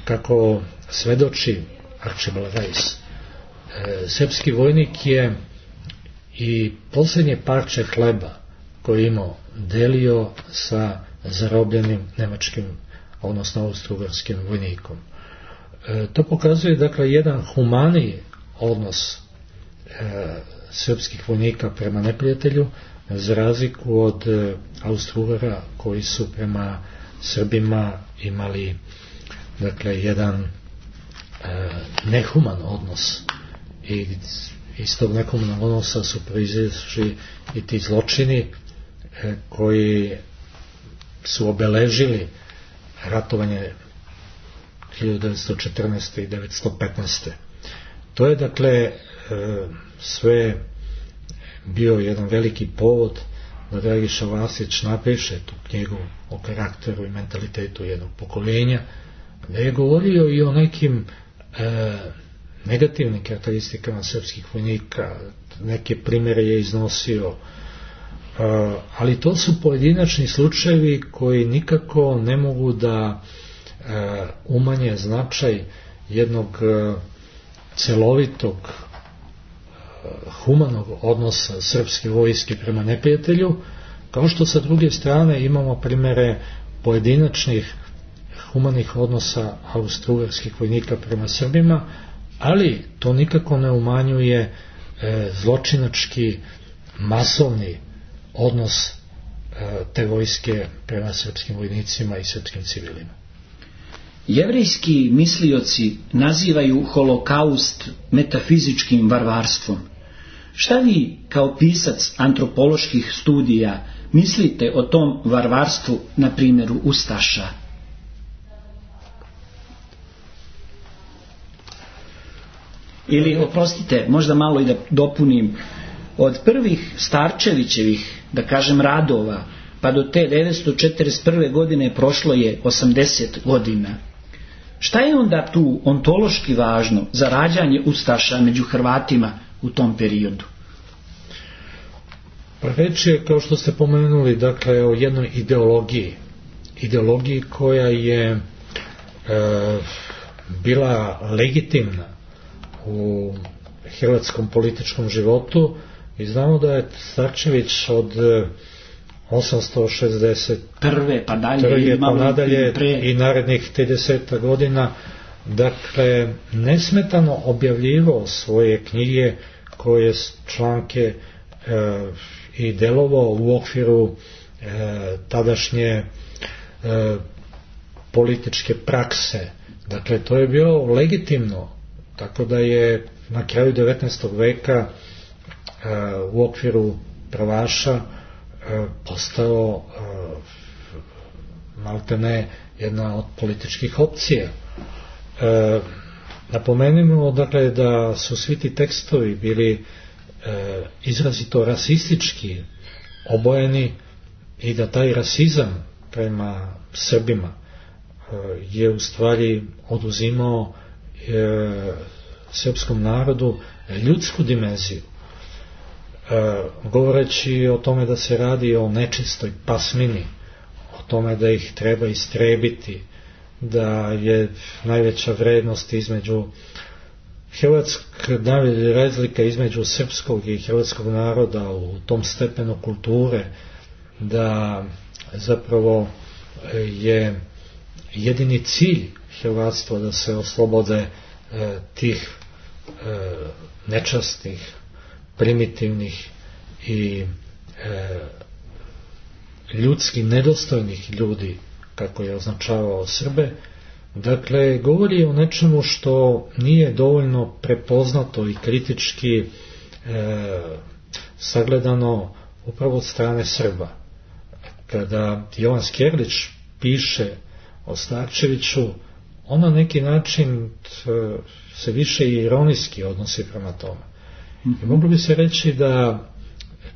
kako svedoči Archibald Rice, e, srpski vojnik je i posljednje parče hleba koji imao delio sa zarobljenim nemačkim, odnosno austro-ugarskim vojnikom. E, to pokazuje dakle jedan humaniji odnos e, srpskih vojnika prema neprijatelju, za razliku od Austro-Ugara koji su prema Srbima imali, dakle, jedan e, nehuman odnos, i iz tog nehumanog odnosa su proizašli i ti zločini e, koji su obeležili ratovanje hiljadu devetsto četrnaeste. i devetsto petnaeste. To je, dakle, e, sve bio jedan veliki povod da Dragiša Vasić napiše tu knjigu o karakteru i mentalitetu jednog pokoljenja, da je govorio i o nekim e, negativnim karakteristikama srpskih vojnika, neke primjere je iznosio, e, ali to su pojedinačni slučajevi koji nikako ne mogu da e, umanje značaj jednog e, celovitog humanog odnosa srpske vojske prema neprijatelju, kao što sa druge strane imamo primjere pojedinačnih humanih odnosa austrougarskih vojnika prema Srbima, ali to nikako ne umanjuje e, zločinački masovni odnos e, te vojske prema srpskim vojnicima i srpskim civilima. Jevrijski mislioci nazivaju holokaust metafizičkim varvarstvom. Šta vi kao pisac antropoloških studija mislite o tom varvarstvu na primjeru ustaša? Ili, oprostite, možda malo i da dopunim, od prvih Starčevićevih, da kažem, radova, pa do te devetsto četrdeset prve. godine prošlo je osamdeset godina. Šta je onda tu ontološki važno za rađanje ustaša među Hrvatima u tom periodu? Pa reč je, kao što ste pomenuli, dakle, o jednoj ideologiji. Ideologiji koja je e, bila legitimna u hrvatskom političkom životu, i znamo da je Starčević od osamsto šezdeset prve pa dalje, pa nadalje i narednih trideset godina, dakle, nesmetano objavljivao svoje knjige, koje članke e, i delovao u okviru e, tadašnje e, političke prakse. Dakle, to je bilo legitimno, tako da je na kraju devetnaestog veka e, u okviru pravaša postao maltene jedna od političkih opcija. E, napomenimo, dakle, da su svi ti tekstovi bili e, izrazito rasistički obojeni i da taj rasizam prema Srbima e, je u stvari oduzimao e, srpskom narodu ljudsku dimenziju. E, govoreći o tome da se radi o nečistoj pasmini, o tome da ih treba istrebiti, da je najveća vrednost između hrvatska, najveća razlika između srpskog i hrvatskog naroda u tom stepenu kulture, da zapravo je jedini cilj hrvatstva da se oslobode e, tih e, nečasnih, primitivnih i e, ljudski nedostojnih ljudi, kako je označavao Srbe. Dakle, govori o nečemu što nije dovoljno prepoznato i kritički e, sagledano upravo od strane Srba. Kada Jovan Skerlić piše o Starčeviću, on na neki način t, se više ironijski odnosi prema tome. I moglo bi se reći da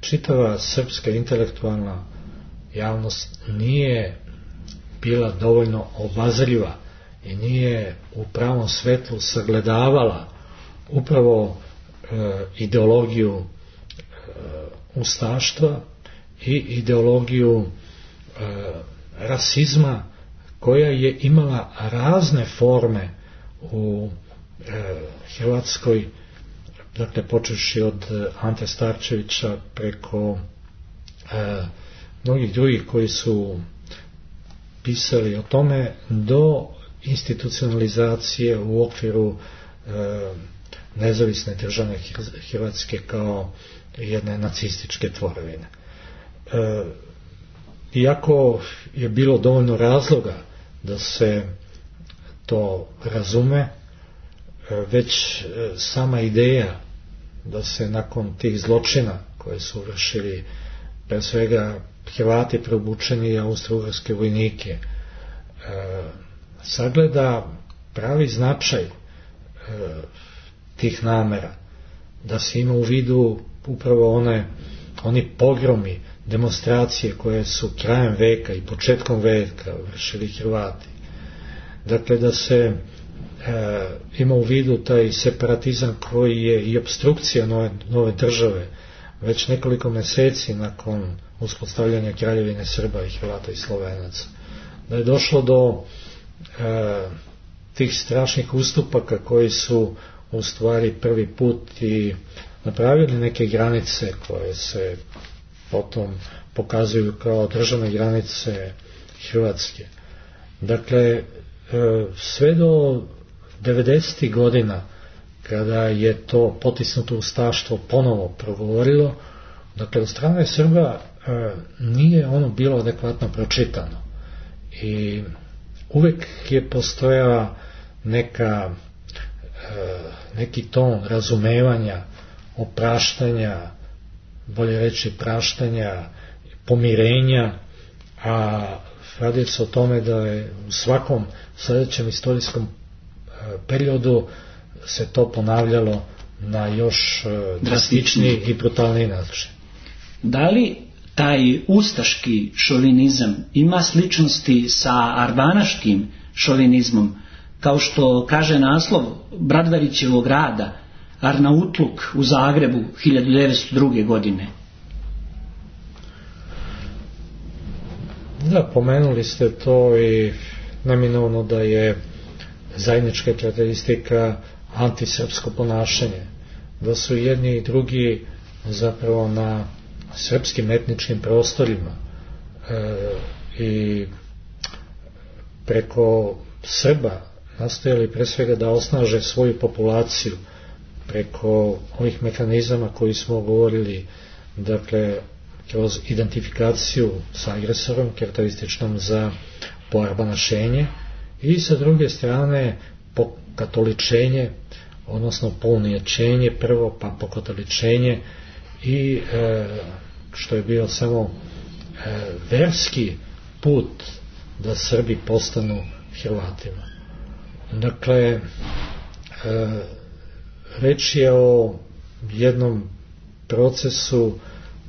čitava srpska intelektualna javnost nije bila dovoljno obazriva i nije u pravom svetlu sagledavala upravo e, ideologiju e, ustaštva i ideologiju e, rasizma, koja je imala razne forme u e, Hrvatskoj, dakle počevši od Ante Starčevića preko e, mnogih drugih koji su pisali o tome, do institucionalizacije u okviru e, nezavisne države Hrvatske kao jedne nacističke tvorevine. E, iako je bilo dovoljno razloga da se to razume, već sama ideja da se nakon tih zločina koje su vršili pre svega Hrvati preobučeni austro-ugarske vojnike, e, sagleda pravi značaj e, tih namera, da se ima u vidu upravo one, oni pogromi, demonstracije koje su krajem veka i početkom veka vršili Hrvati. Dakle, da se e, ima u vidu taj separatizam koji je i opstrukcija nove, nove države već nekoliko mjeseci nakon uspostavljanja Kraljevine Srba i Hrvata i Slovenaca. Da je došlo do e, tih strašnih ustupaka koji su u stvari prvi put i napravili neke granice koje se potom pokazuju kao državne granice Hrvatske. Dakle, sve do devedesetih godina, kada je to potisnuto ustaštvo ponovo progovorilo, dakle, od strane Srba nije ono bilo adekvatno pročitano. I uvek je postojala neka, neki ton razumevanja, opraštanja, bolje reći praštanja, pomirenja, a radi se o tome da je u svakom sljedećem istorijskom periodu se to ponavljalo na još drastičniji i brutalniji način. Da li taj ustaški šovinizam ima sličnosti sa arbanaškim šovinizmom, kao što kaže naslov Bradvarićevog rada Arnautluk u Zagrebu hiljadu devetsto druge. godine? Da, pomenuli ste to i neminovno da je zajednička karakteristika antisrpsko ponašanje, da su jedni i drugi zapravo na srpskim etničkim prostorima e, i preko Srba nastojali pre svega da osnaže svoju populaciju preko ovih mehanizama koji smo govorili, dakle kroz identifikaciju sa agresorom karakterističnom za poarbanašenje i sa druge strane pokatoličenje, odnosno pounijačenje prvo, pa pokatoličenje i e, što je bio samo e, verski put da Srbi postanu Hrvatima. Dakle, e, reč je o jednom procesu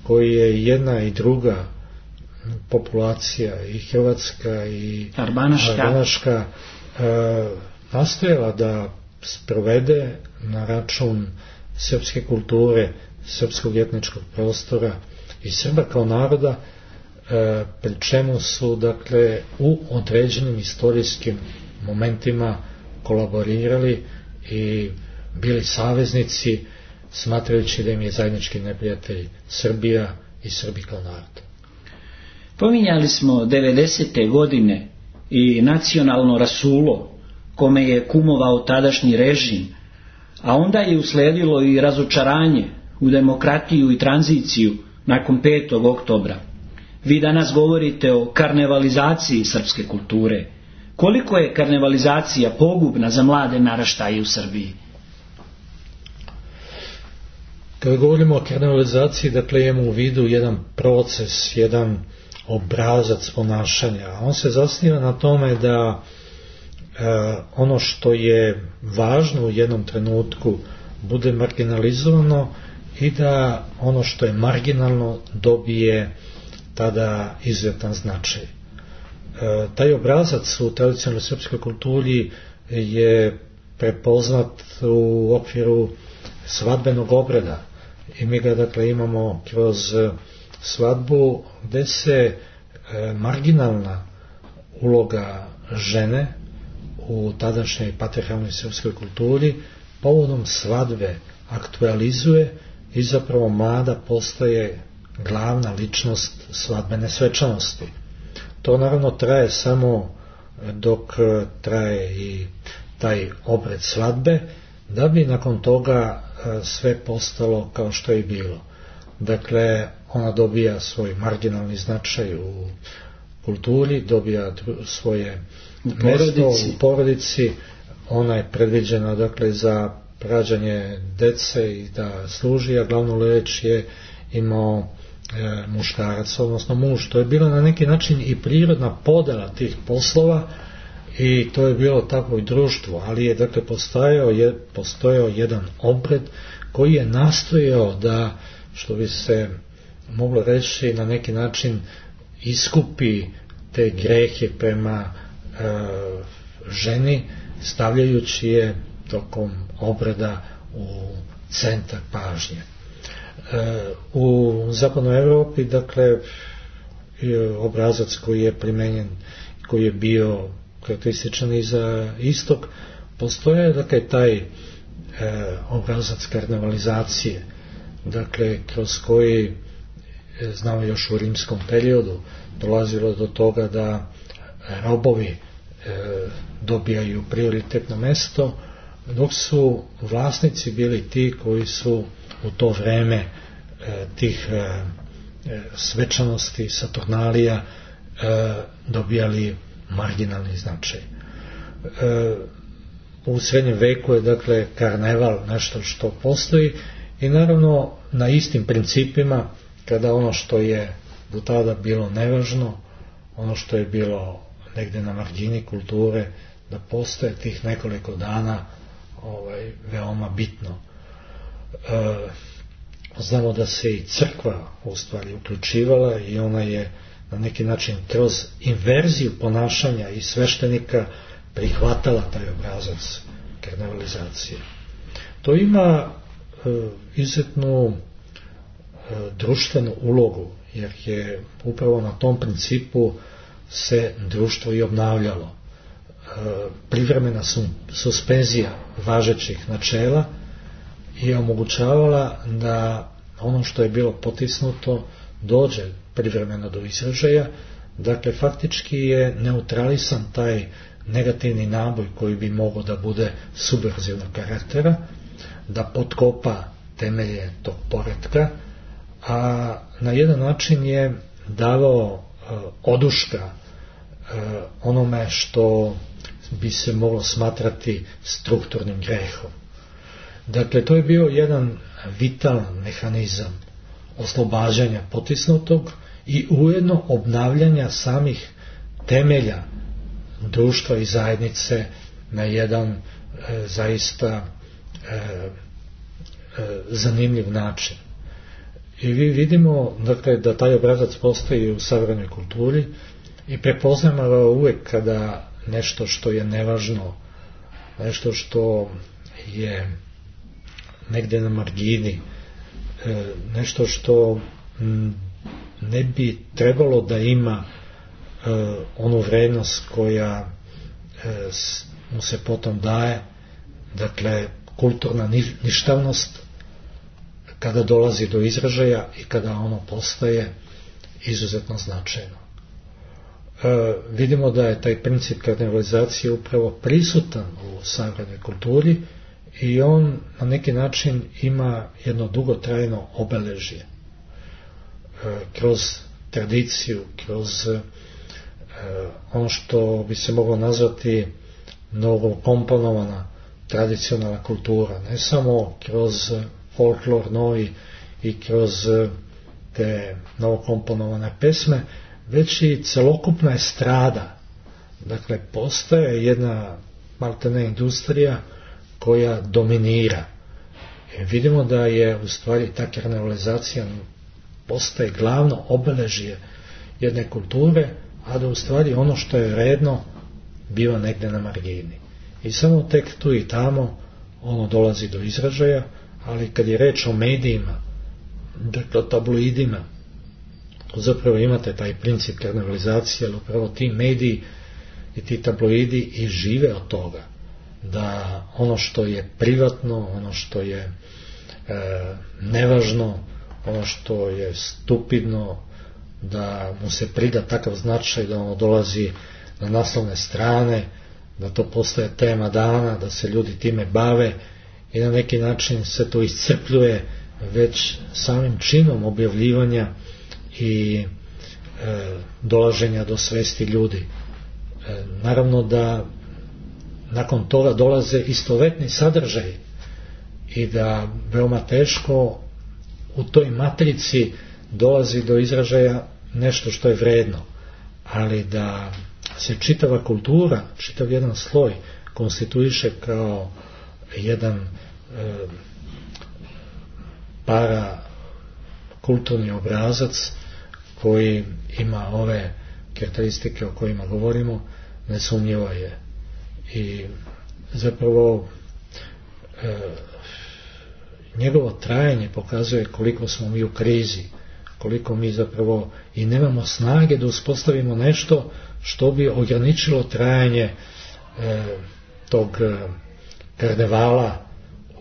koji je jedna i druga populacija, i hrvatska i arbanaška, arbanaška e, nastojala da sprovede na račun srpske kulture, srpskog etničkog prostora i Srba kao naroda, e, pri čemu su dakle u određenim istorijskim momentima kolaborirali i bili saveznici, smatrajući da im je zajednički neprijatelj Srbija i Srbi kao narod. Pominjali smo devedesete. godine i nacionalno rasulo kome je kumovao tadašnji režim, a onda je usledilo i razočaranje u demokratiju i tranziciju nakon petog oktobra. Vi danas govorite o karnevalizaciji srpske kulture. Koliko je karnevalizacija pogubna za mlade naraštaje u Srbiji? Kada govorimo o karnevalizaciji, dakle imamo u vidu jedan proces, jedan obrazac ponašanja. On se zasniva na tome da e, ono što je važno u jednom trenutku bude marginalizovano i da ono što je marginalno dobije tada izuzetan značaj. E, taj obrazac u tradicionalnoj srpskoj kulturi je prepoznat u okviru svadbenog obreda i mi ga dakle imamo kroz svadbu gde se e, marginalna uloga žene u tadašnjoj patrijarhalnoj srpskoj kulturi povodom svadbe aktualizuje i zapravo mlada postaje glavna ličnost svadbene svečanosti. To naravno traje samo dok traje i taj obred svadbe, da bi nakon toga sve postalo kao što je bilo. Dakle, ona dobija svoj marginalni značaj u kulturi, dobija svoje mesto u porodici, ona je predviđena dakle za rađanje dece i da služi, a glavnu riječ je imao e, muškarac, odnosno muž. To je bila na neki način i prirodna podela tih poslova i to je bilo tako i društvo, ali je dakle postojao, je, postojao jedan obred koji je nastojao da, što bi se moglo reći, na neki način iskupi te grehe prema e, ženi, stavljajući je tokom obreda u centar pažnje. E, u zapadnoj Europi, dakle, obrazac koji je primenjen, koji je bio karakterističan i za istok, postoje dakle taj e, obrazac karnevalizacije, dakle kroz koji e, znamo još u rimskom periodu dolazilo do toga da robovi e, dobijaju prioritetno mesto, dok su vlasnici bili ti koji su u to vreme e, tih e, svečanosti, saturnalija e, dobijali marginalni značaj. E, u srednjem veku je dakle karneval nešto što postoji i naravno na istim principima, kada ono što je do tada bilo nevažno, ono što je bilo negdje na margini kulture, da postoje tih nekoliko dana ovaj, veoma bitno. E, znamo da se i crkva u stvari uključivala i ona je na neki način kroz inverziju ponašanja i sveštenika prihvatala taj obrazac karnevalizacije. To ima e, izuzetnu e, društvenu ulogu, jer je upravo na tom principu se društvo i obnavljalo. E, privremena su, suspenzija važećih načela je omogućavala da ono što je bilo potisnuto dođe privremeno do izražaja, dakle faktički je neutralisan taj negativni naboj koji bi mogao da bude subverzivnog karaktera, da potkopa temelje tog poretka, a na jedan način je davao e, oduška e, onome što bi se moglo smatrati strukturnim grehom. Dakle, to je bio jedan vitalan mehanizam oslobađanja potisnutog i ujedno obnavljanja samih temelja društva i zajednice na jedan e, zaista e, e, zanimljiv način. I vi vidimo dakle, da taj obrazac postoji u savremenoj kulturi i prepoznamo ga uvijek kada nešto što je nevažno, nešto što je negdje na margini, e, nešto što m, ne bi trebalo da ima e, onu vrednost koja e, mu se potom daje, dakle kulturna ništavnost, kada dolazi do izražaja i kada ono postaje izuzetno značajno. E, vidimo da je taj princip karnevalizacije upravo prisutan u savremenoj kulturi i on na neki način ima jedno dugotrajno obeležje. E, kroz tradiciju, kroz e, ono što bi se moglo nazvati mnogo komponovana tradicionalna kultura, ne samo kroz folklor novi i kroz te novokomponovane pesme, već i celokupna estrada. Dakle, postaje jedna maltene industrija koja dominira. E, vidimo da je u stvari ta karnevalizacija postaje glavno obeležje jedne kulture, a da u stvari ono što je vredno biva negdje na margini. I samo tek tu i tamo ono dolazi do izražaja, ali kad je reč o medijima, dakle o tabloidima, zapravo imate taj princip karnevalizacije, ali upravo ti mediji i ti tabloidi i žive od toga, da ono što je privatno, ono što je e, nevažno, ono što je stupidno, da mu se prida takav značaj da ono dolazi na naslovne strane, da to postaje tema dana, da se ljudi time bave i na neki način se to iscrpljuje već samim činom objavljivanja i e, dolaženja do svesti ljudi. E, naravno da nakon toga dolaze istovetni sadržaj i da veoma teško u toj matrici dolazi do izražaja nešto što je vredno, ali da se čitava kultura, čitav jedan sloj konstituiše kao jedan e, para kulturni obrazac koji ima ove karakteristike o kojima govorimo, nesumnjivo je. I zapravo e, njegovo trajanje pokazuje koliko smo mi u krizi, koliko mi zapravo i nemamo snage da uspostavimo nešto što bi ograničilo trajanje e, tog e, karnevala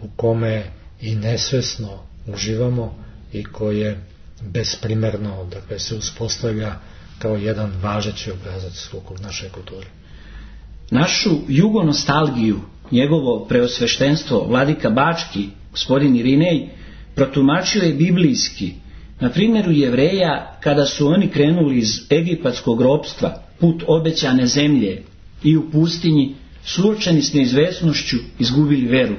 u kome i nesvesno uživamo i koje besprimerno, dakle, se uspostavlja kao jedan važeći obrazac u našoj kulturi. Našu jugonostalgiju, njegovo preosveštenstvo vladika Bački, gospodin Irinej, protumačio je biblijski, na primjeru Jevreja kada su oni krenuli iz egipatskog ropstva put obećane zemlje i u pustinji, suočeni s neizvesnošću, izgubili veru.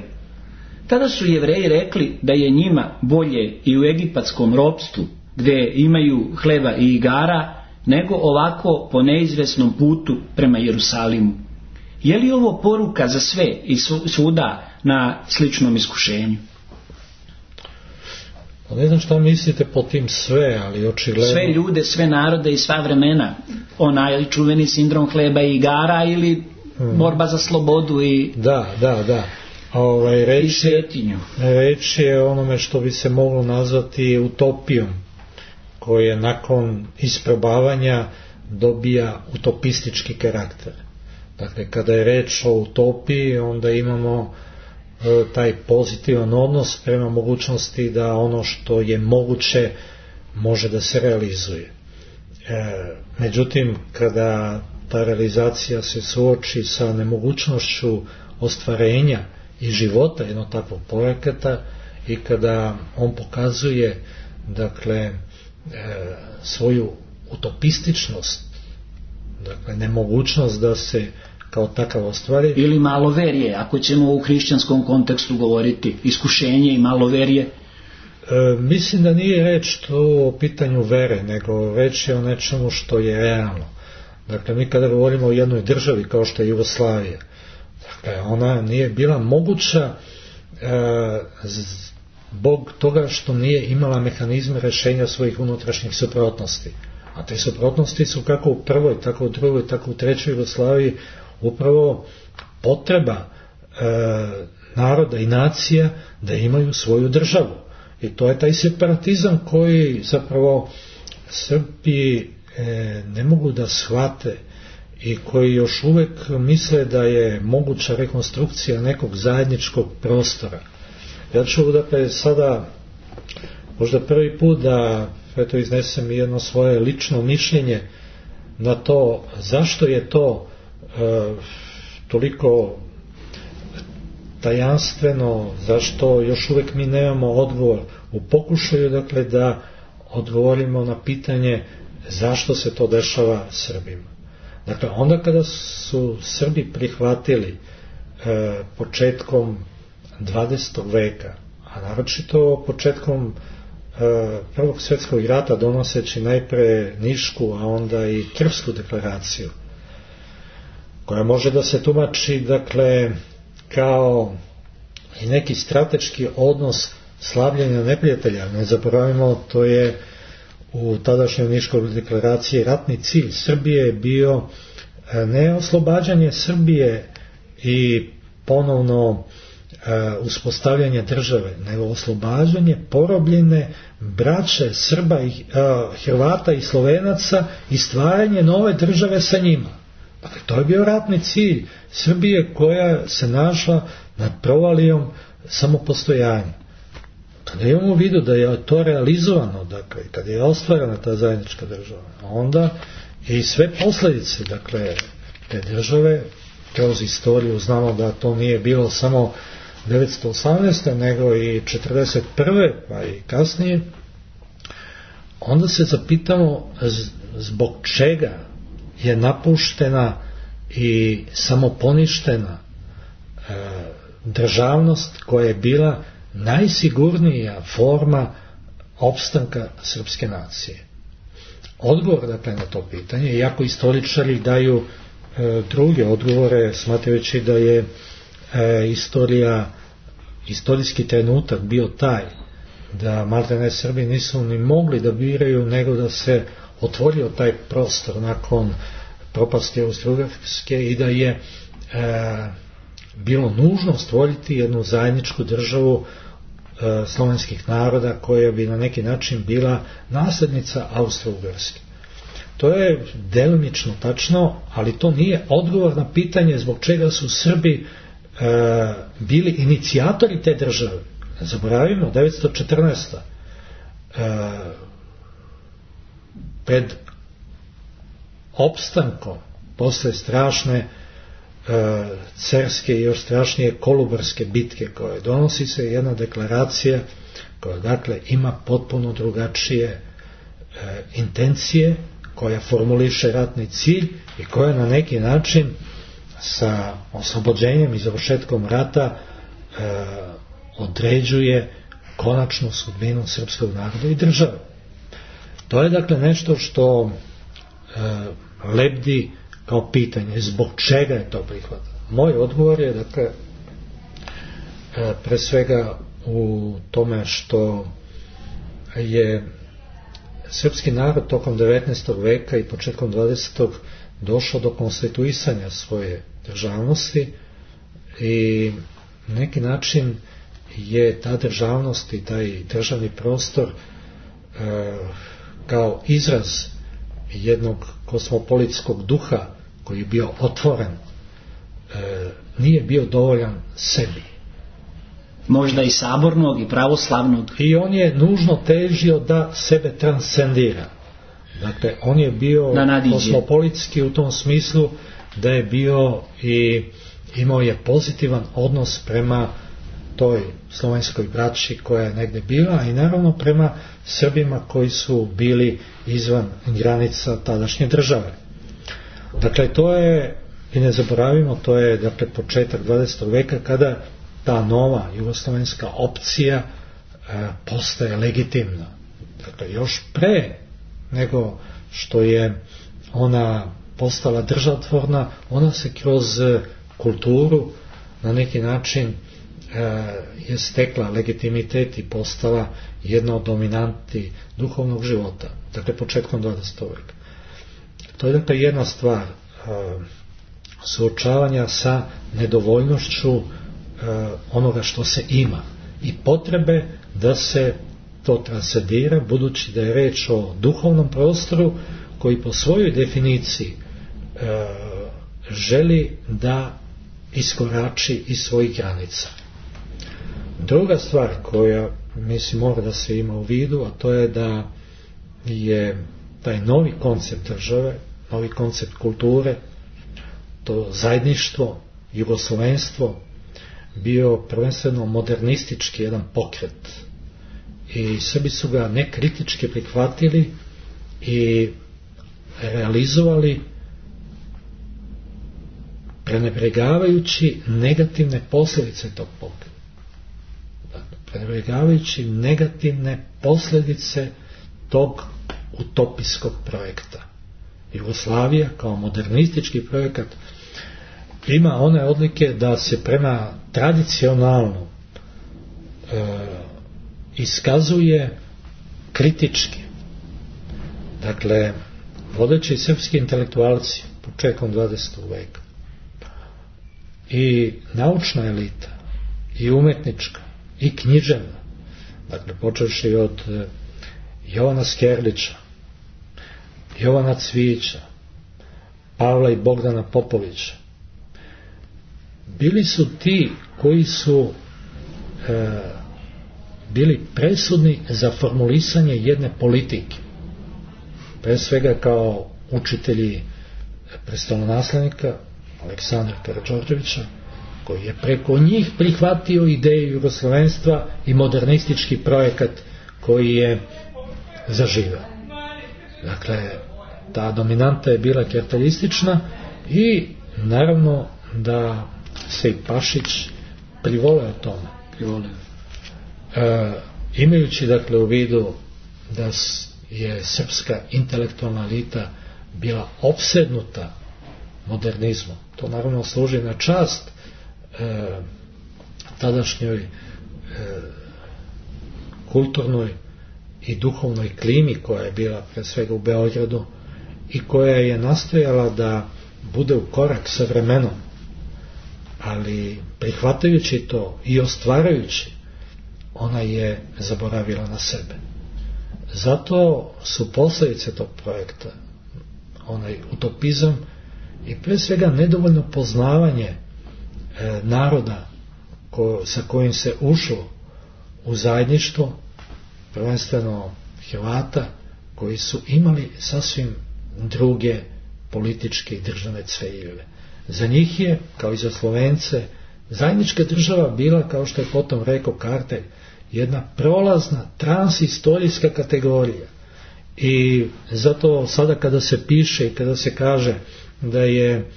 Tada su Jevreji rekli da je njima bolje i u egipatskom ropstvu, gdje imaju hleba i igara, nego ovako po neizvesnom putu prema Jerusalimu. Je li ovo poruka za sve i svuda na sličnom iskušenju? Ne znam šta mislite po tim sve, ali očigledno... Sve ljude, sve narode i sva vremena. Onaj čuveni sindrom hleba i igara ili hmm. borba za slobodu i... Da, da, da. Ovaj, reč, je, reč je onome što bi se moglo nazvati utopijom, koje nakon isprobavanja dobija utopistički karakter. Dakle, kada je reč o utopiji, onda imamo e, taj pozitivan odnos prema mogućnosti da ono što je moguće može da se realizuje. E, međutim, kada ta realizacija se suoči sa nemogućnošću ostvarenja i života jednog takvog projekata i kada on pokazuje, dakle, e, svoju utopističnost, dakle, nemogućnost da se kao takav ostvari. Ili maloverje, ako ćemo u hrišćanskom kontekstu govoriti, iskušenje i maloverje. E, mislim da nije reč to o pitanju vere, nego reč je o nečemu što je realno. Dakle, mi kada govorimo o jednoj državi kao što je Jugoslavija, dakle, ona nije bila moguća e, zbog toga što nije imala mehanizme rješenja svojih unutrašnjih suprotnosti. A te suprotnosti su kako u prvoj, tako u drugoj, tako u trećoj Jugoslaviji upravo potreba e, naroda i nacija da imaju svoju državu. I to je taj separatizam koji zapravo Srbi e, ne mogu da shvate i koji još uvek misle da je moguća rekonstrukcija nekog zajedničkog prostora. Ja ću dakle sada možda prvi put da eto iznesem jedno svoje lično mišljenje na to zašto je to e, toliko tajanstveno, zašto još uvek mi nemamo odgovor u pokušaju, dakle, da odgovorimo na pitanje zašto se to dešava Srbima. Dakle, onda kada su Srbi prihvatili e, početkom dvadesetog veka, a naročito početkom e, Prvog svjetskog rata, donoseći najpre Nišku, a onda i Krfsku deklaraciju, koja može da se tumači, dakle, kao i neki strateški odnos slavljenja neprijatelja. Ne zaboravimo, to je u tadašnjoj Niškoj deklaraciji ratni cilj Srbije je bio ne oslobađanje Srbije i ponovno uh, uspostavljanje države, nego oslobađanje porobljene braće Srba i uh, Hrvata i Slovenaca i stvaranje nove države sa njima. Dakle, to je bio ratni cilj Srbije koja se našla nad provalijom samopostojanja. Kada imamo u vidu da je to realizovano, dakle, kada je ostvarena ta zajednička država, onda i sve posljedice, dakle, te države, kroz istoriju znamo da to nije bilo samo devetsto osamnaeste nego i četrdeset prve pa i kasnije, onda se zapitamo zbog čega je napuštena i samoponištena e, državnost koja je bila najsigurnija forma opstanka srpske nacije. Odgovor dakle na to pitanje, iako istoričari daju e, druge odgovore, smatrajući da je e, istorija, istorijski trenutak bio taj da maltene Srbi nisu ni mogli da biraju, nego da se otvorio taj prostor nakon propasti Austro-Ugarske i da je e, bilo nužno stvoriti jednu zajedničku državu e, slovenskih naroda koja bi na neki način bila nasljednica Austro-Ugarske. To je delimično tačno, ali to nije odgovor na pitanje zbog čega su Srbi e, bili inicijatori te države. Ne zaboravimo, devetsto četrnaesta E, pred opstankom posle strašne e, cerske i još strašnije Kolubarske bitke koje donosi se jedna deklaracija koja dakle ima potpuno drugačije e, intencije, koja formuliše ratni cilj i koja na neki način sa oslobođenjem i završetkom rata e, određuje konačnu sudbinu srpskog naroda i države. To je dakle nešto što e, lebdi kao pitanje zbog čega je to prihvatno. Moj odgovor je dakle e, pre svega u tome što je srpski narod tokom devetnaestog veka i početkom dvadesetog došao do konstituisanja svoje državnosti i na neki način je ta državnost i taj državni prostor e, kao izraz jednog kosmopolitskog duha koji je bio otvoren, e, nije bio dovoljan sebi. Možda i sabornog i pravoslavnog. I on je nužno težio da sebe transcendira. Dakle, on je bio kosmopolitski u tom smislu da je bio i imao je pozitivan odnos prema toj slovenskoj braći koja je negde bila i naravno prema Srbima koji su bili izvan granica tadašnje države. Dakle, to je, i ne zaboravimo, to je dakle početak dvadesetog veka kada ta nova jugoslovenska opcija e, postaje legitimna. Dakle, još pre nego što je ona postala državotvorna, ona se kroz kulturu na neki način je stekla legitimitet i postala jedna od dominanti duhovnog života, dakle početkom dvadesetog veka. To je dakle jedna stvar suočavanja sa nedovoljnošću onoga što se ima i potrebe da se to transcendira, budući da je reč o duhovnom prostoru koji po svojoj definiciji želi da iskorači iz svojih granica. Druga stvar koja mislim mora da se ima u vidu, a to je da je taj novi koncept države, novi koncept kulture, to zajedništvo, jugoslovenstvo bio prvenstveno modernistički jedan pokret i Srbi su ga nekritički prihvatili i realizovali prenebregavajući negativne posljedice tog pokreta. Prenebregavajući negativne posljedice tog utopijskog projekta. Jugoslavija kao modernistički projekat ima one odlike da se prema tradicionalno e, iskazuje kritički. Dakle, vodeći srpski intelektualci početkom dvadesetog veka i naučna elita i umetnička i književna, dakle počevši od e, Jovana Skerlića, Jovana Cvijića, Pavla i Bogdana Popovića, bili su ti koji su e, bili presudni za formulisanje jedne politike, pre svega kao učitelji prestolonaslednika Aleksandra Karađorđevića, koji je preko njih prihvatio ideju jugoslavenstva i modernistički projekat koji je zaživeo. Dakle, ta dominanta je bila karakteristična i naravno da se i Pašić privoleo tome. Privoleo. E, imajući dakle u vidu da je srpska intelektualna elita bila opsednuta modernizmom, to naravno služi na čast e, tadašnjoj e, kulturnoj i duhovnoj klimi koja je bila pre svega u Beogradu i koja je nastojala da bude u korak sa vremenom, ali prihvatajući to i ostvarajući, ona je zaboravila na sebe. Zato su posljedice tog projekta onaj utopizam i pre svega nedovoljno poznavanje e, naroda ko, sa kojim se ušlo u zajedništvo, prvenstveno Hrvata, koji su imali sasvim druge političke i državne ciljeve. Za njih je, kao i za Slovence, zajednička država bila, kao što je potom rekao Kartelj, jedna prolazna transhistorijska kategorija. I zato sada kada se piše i kada se kaže da je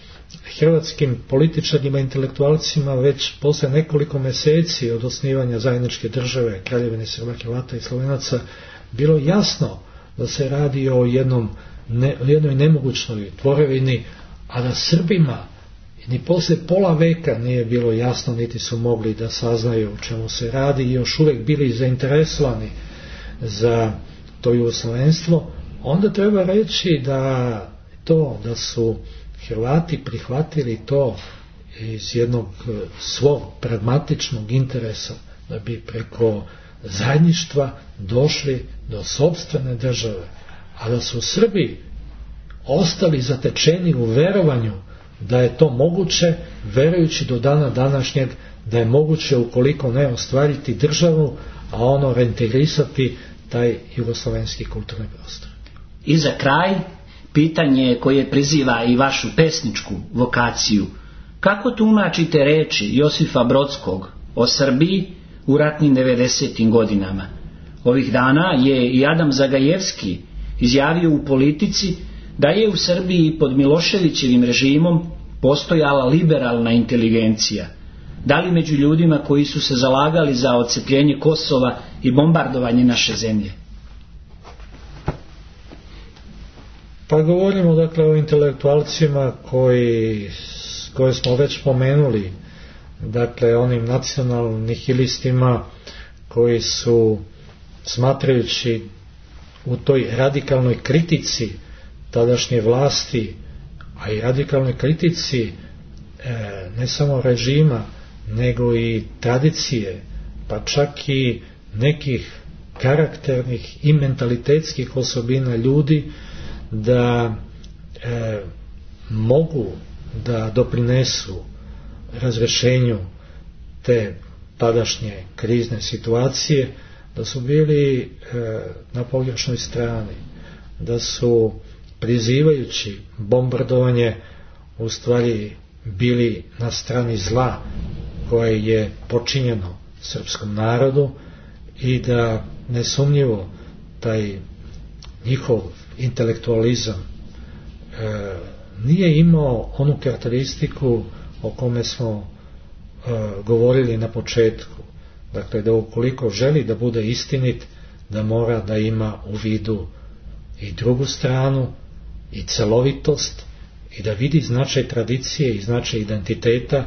hrvatskim političarima i intelektualcima već posle nekoliko meseci od osnivanja zajedničke države Kraljevine Srba, Hrvata i Slovenaca bilo jasno da se radi o jednom, ne, jednoj nemogućnoj tvorevini, a da Srbima ni posle pola veka nije bilo jasno, niti su mogli da saznaju o čemu se radi i još uvek bili zainteresovani za to jugoslovenstvo, onda treba reći da to da su Hrvati prihvatili to iz jednog svog pragmatičnog interesa da bi preko zajedništva došli do sopstvene države, a da su Srbi ostali zatečeni u verovanju da je to moguće, verujući do dana današnjeg da je moguće ukoliko ne ostvariti državu, a ono reintegrisati taj jugoslovenski kulturni prostor. I za kraj, pitanje koje priziva i vašu pesničku vokaciju. Kako tumačite reči Josifa Brodskog o Srbiji u ratnim devedesetim godinama? Ovih dana je i Adam Zagajevski izjavio u Politici da je u Srbiji pod Miloševićevim režimom postojala liberalna inteligencija. Da li među ljudima koji su se zalagali za odcepljenje Kosova i bombardovanje naše zemlje? Pa govorimo dakle o intelektualcima koji, koje smo već pomenuli, dakle onim nacionalnim nihilistima koji su, smatrajući u toj radikalnoj kritici tadašnje vlasti, a i radikalnoj kritici e, ne samo režima, nego i tradicije, pa čak i nekih karakternih i mentalitetskih osobina ljudi, da e, mogu da doprinesu razrešenju te tadašnje krizne situacije, da su bili e, na pogrešnoj strani, da su prizivajući bombardovanje u stvari bili na strani zla koje je počinjeno srpskom narodu i da nesumnjivo taj njihov intelektualizam e, nije imao onu karakteristiku o kome smo e, govorili na početku. Dakle, da ukoliko želi da bude istinit, da mora da ima u vidu i drugu stranu, i celovitost, i da vidi značaj tradicije i značaj identiteta,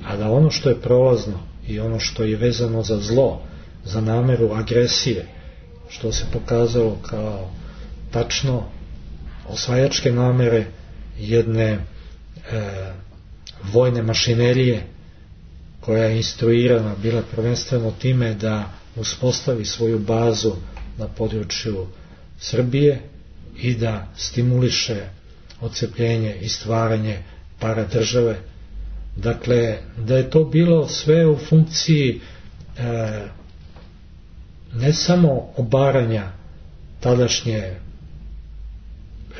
a da ono što je prolazno i ono što je vezano za zlo, za nameru agresije, što se pokazalo kao tačno osvajačke namere jedne e, vojne mašinerije koja je instruirana bila prvenstveno time da uspostavi svoju bazu na području Srbije i da stimuliše odcepljenje i stvaranje paradržave. Dakle, da je to bilo sve u funkciji e, ne samo obaranja tadašnje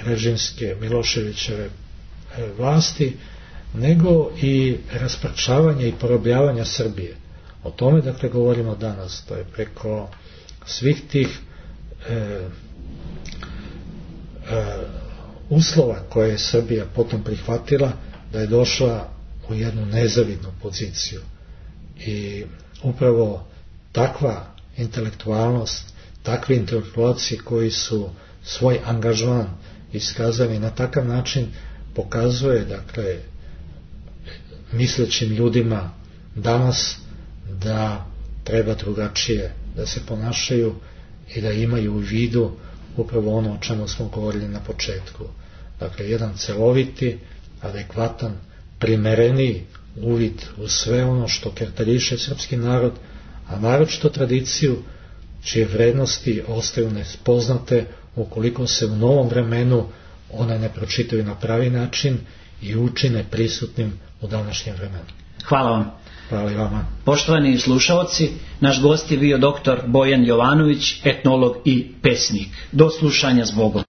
režimske Miloševićeve vlasti, nego i rasparčavanja i porobljavanja Srbije. O tome dakle govorimo danas, to je preko svih tih e, e, uslova koje je Srbija potom prihvatila, da je došla u jednu nezavidnu poziciju. I upravo takva intelektualnost, takvi intelektualci koji su svoj angažman iskazali na takav način, pokazuje dakle mislećim ljudima danas da treba drugačije da se ponašaju i da imaju u vidu upravo ono o čemu smo govorili na početku. Dakle, jedan celoviti, adekvatan, primereniji uvid u sve ono što karakteriše srpski narod, a naročito tradiciju čije vrednosti ostaju nespoznate ukoliko se u novom vremenu one ne pročitaju na pravi način i učine prisutnim u današnjem vremenu. Hvala vam. Hvala i vama. Poštovani slušaoci, naš gost je bio doktor Bojan Jovanović, etnolog i pesnik. Do slušanja s Bogom.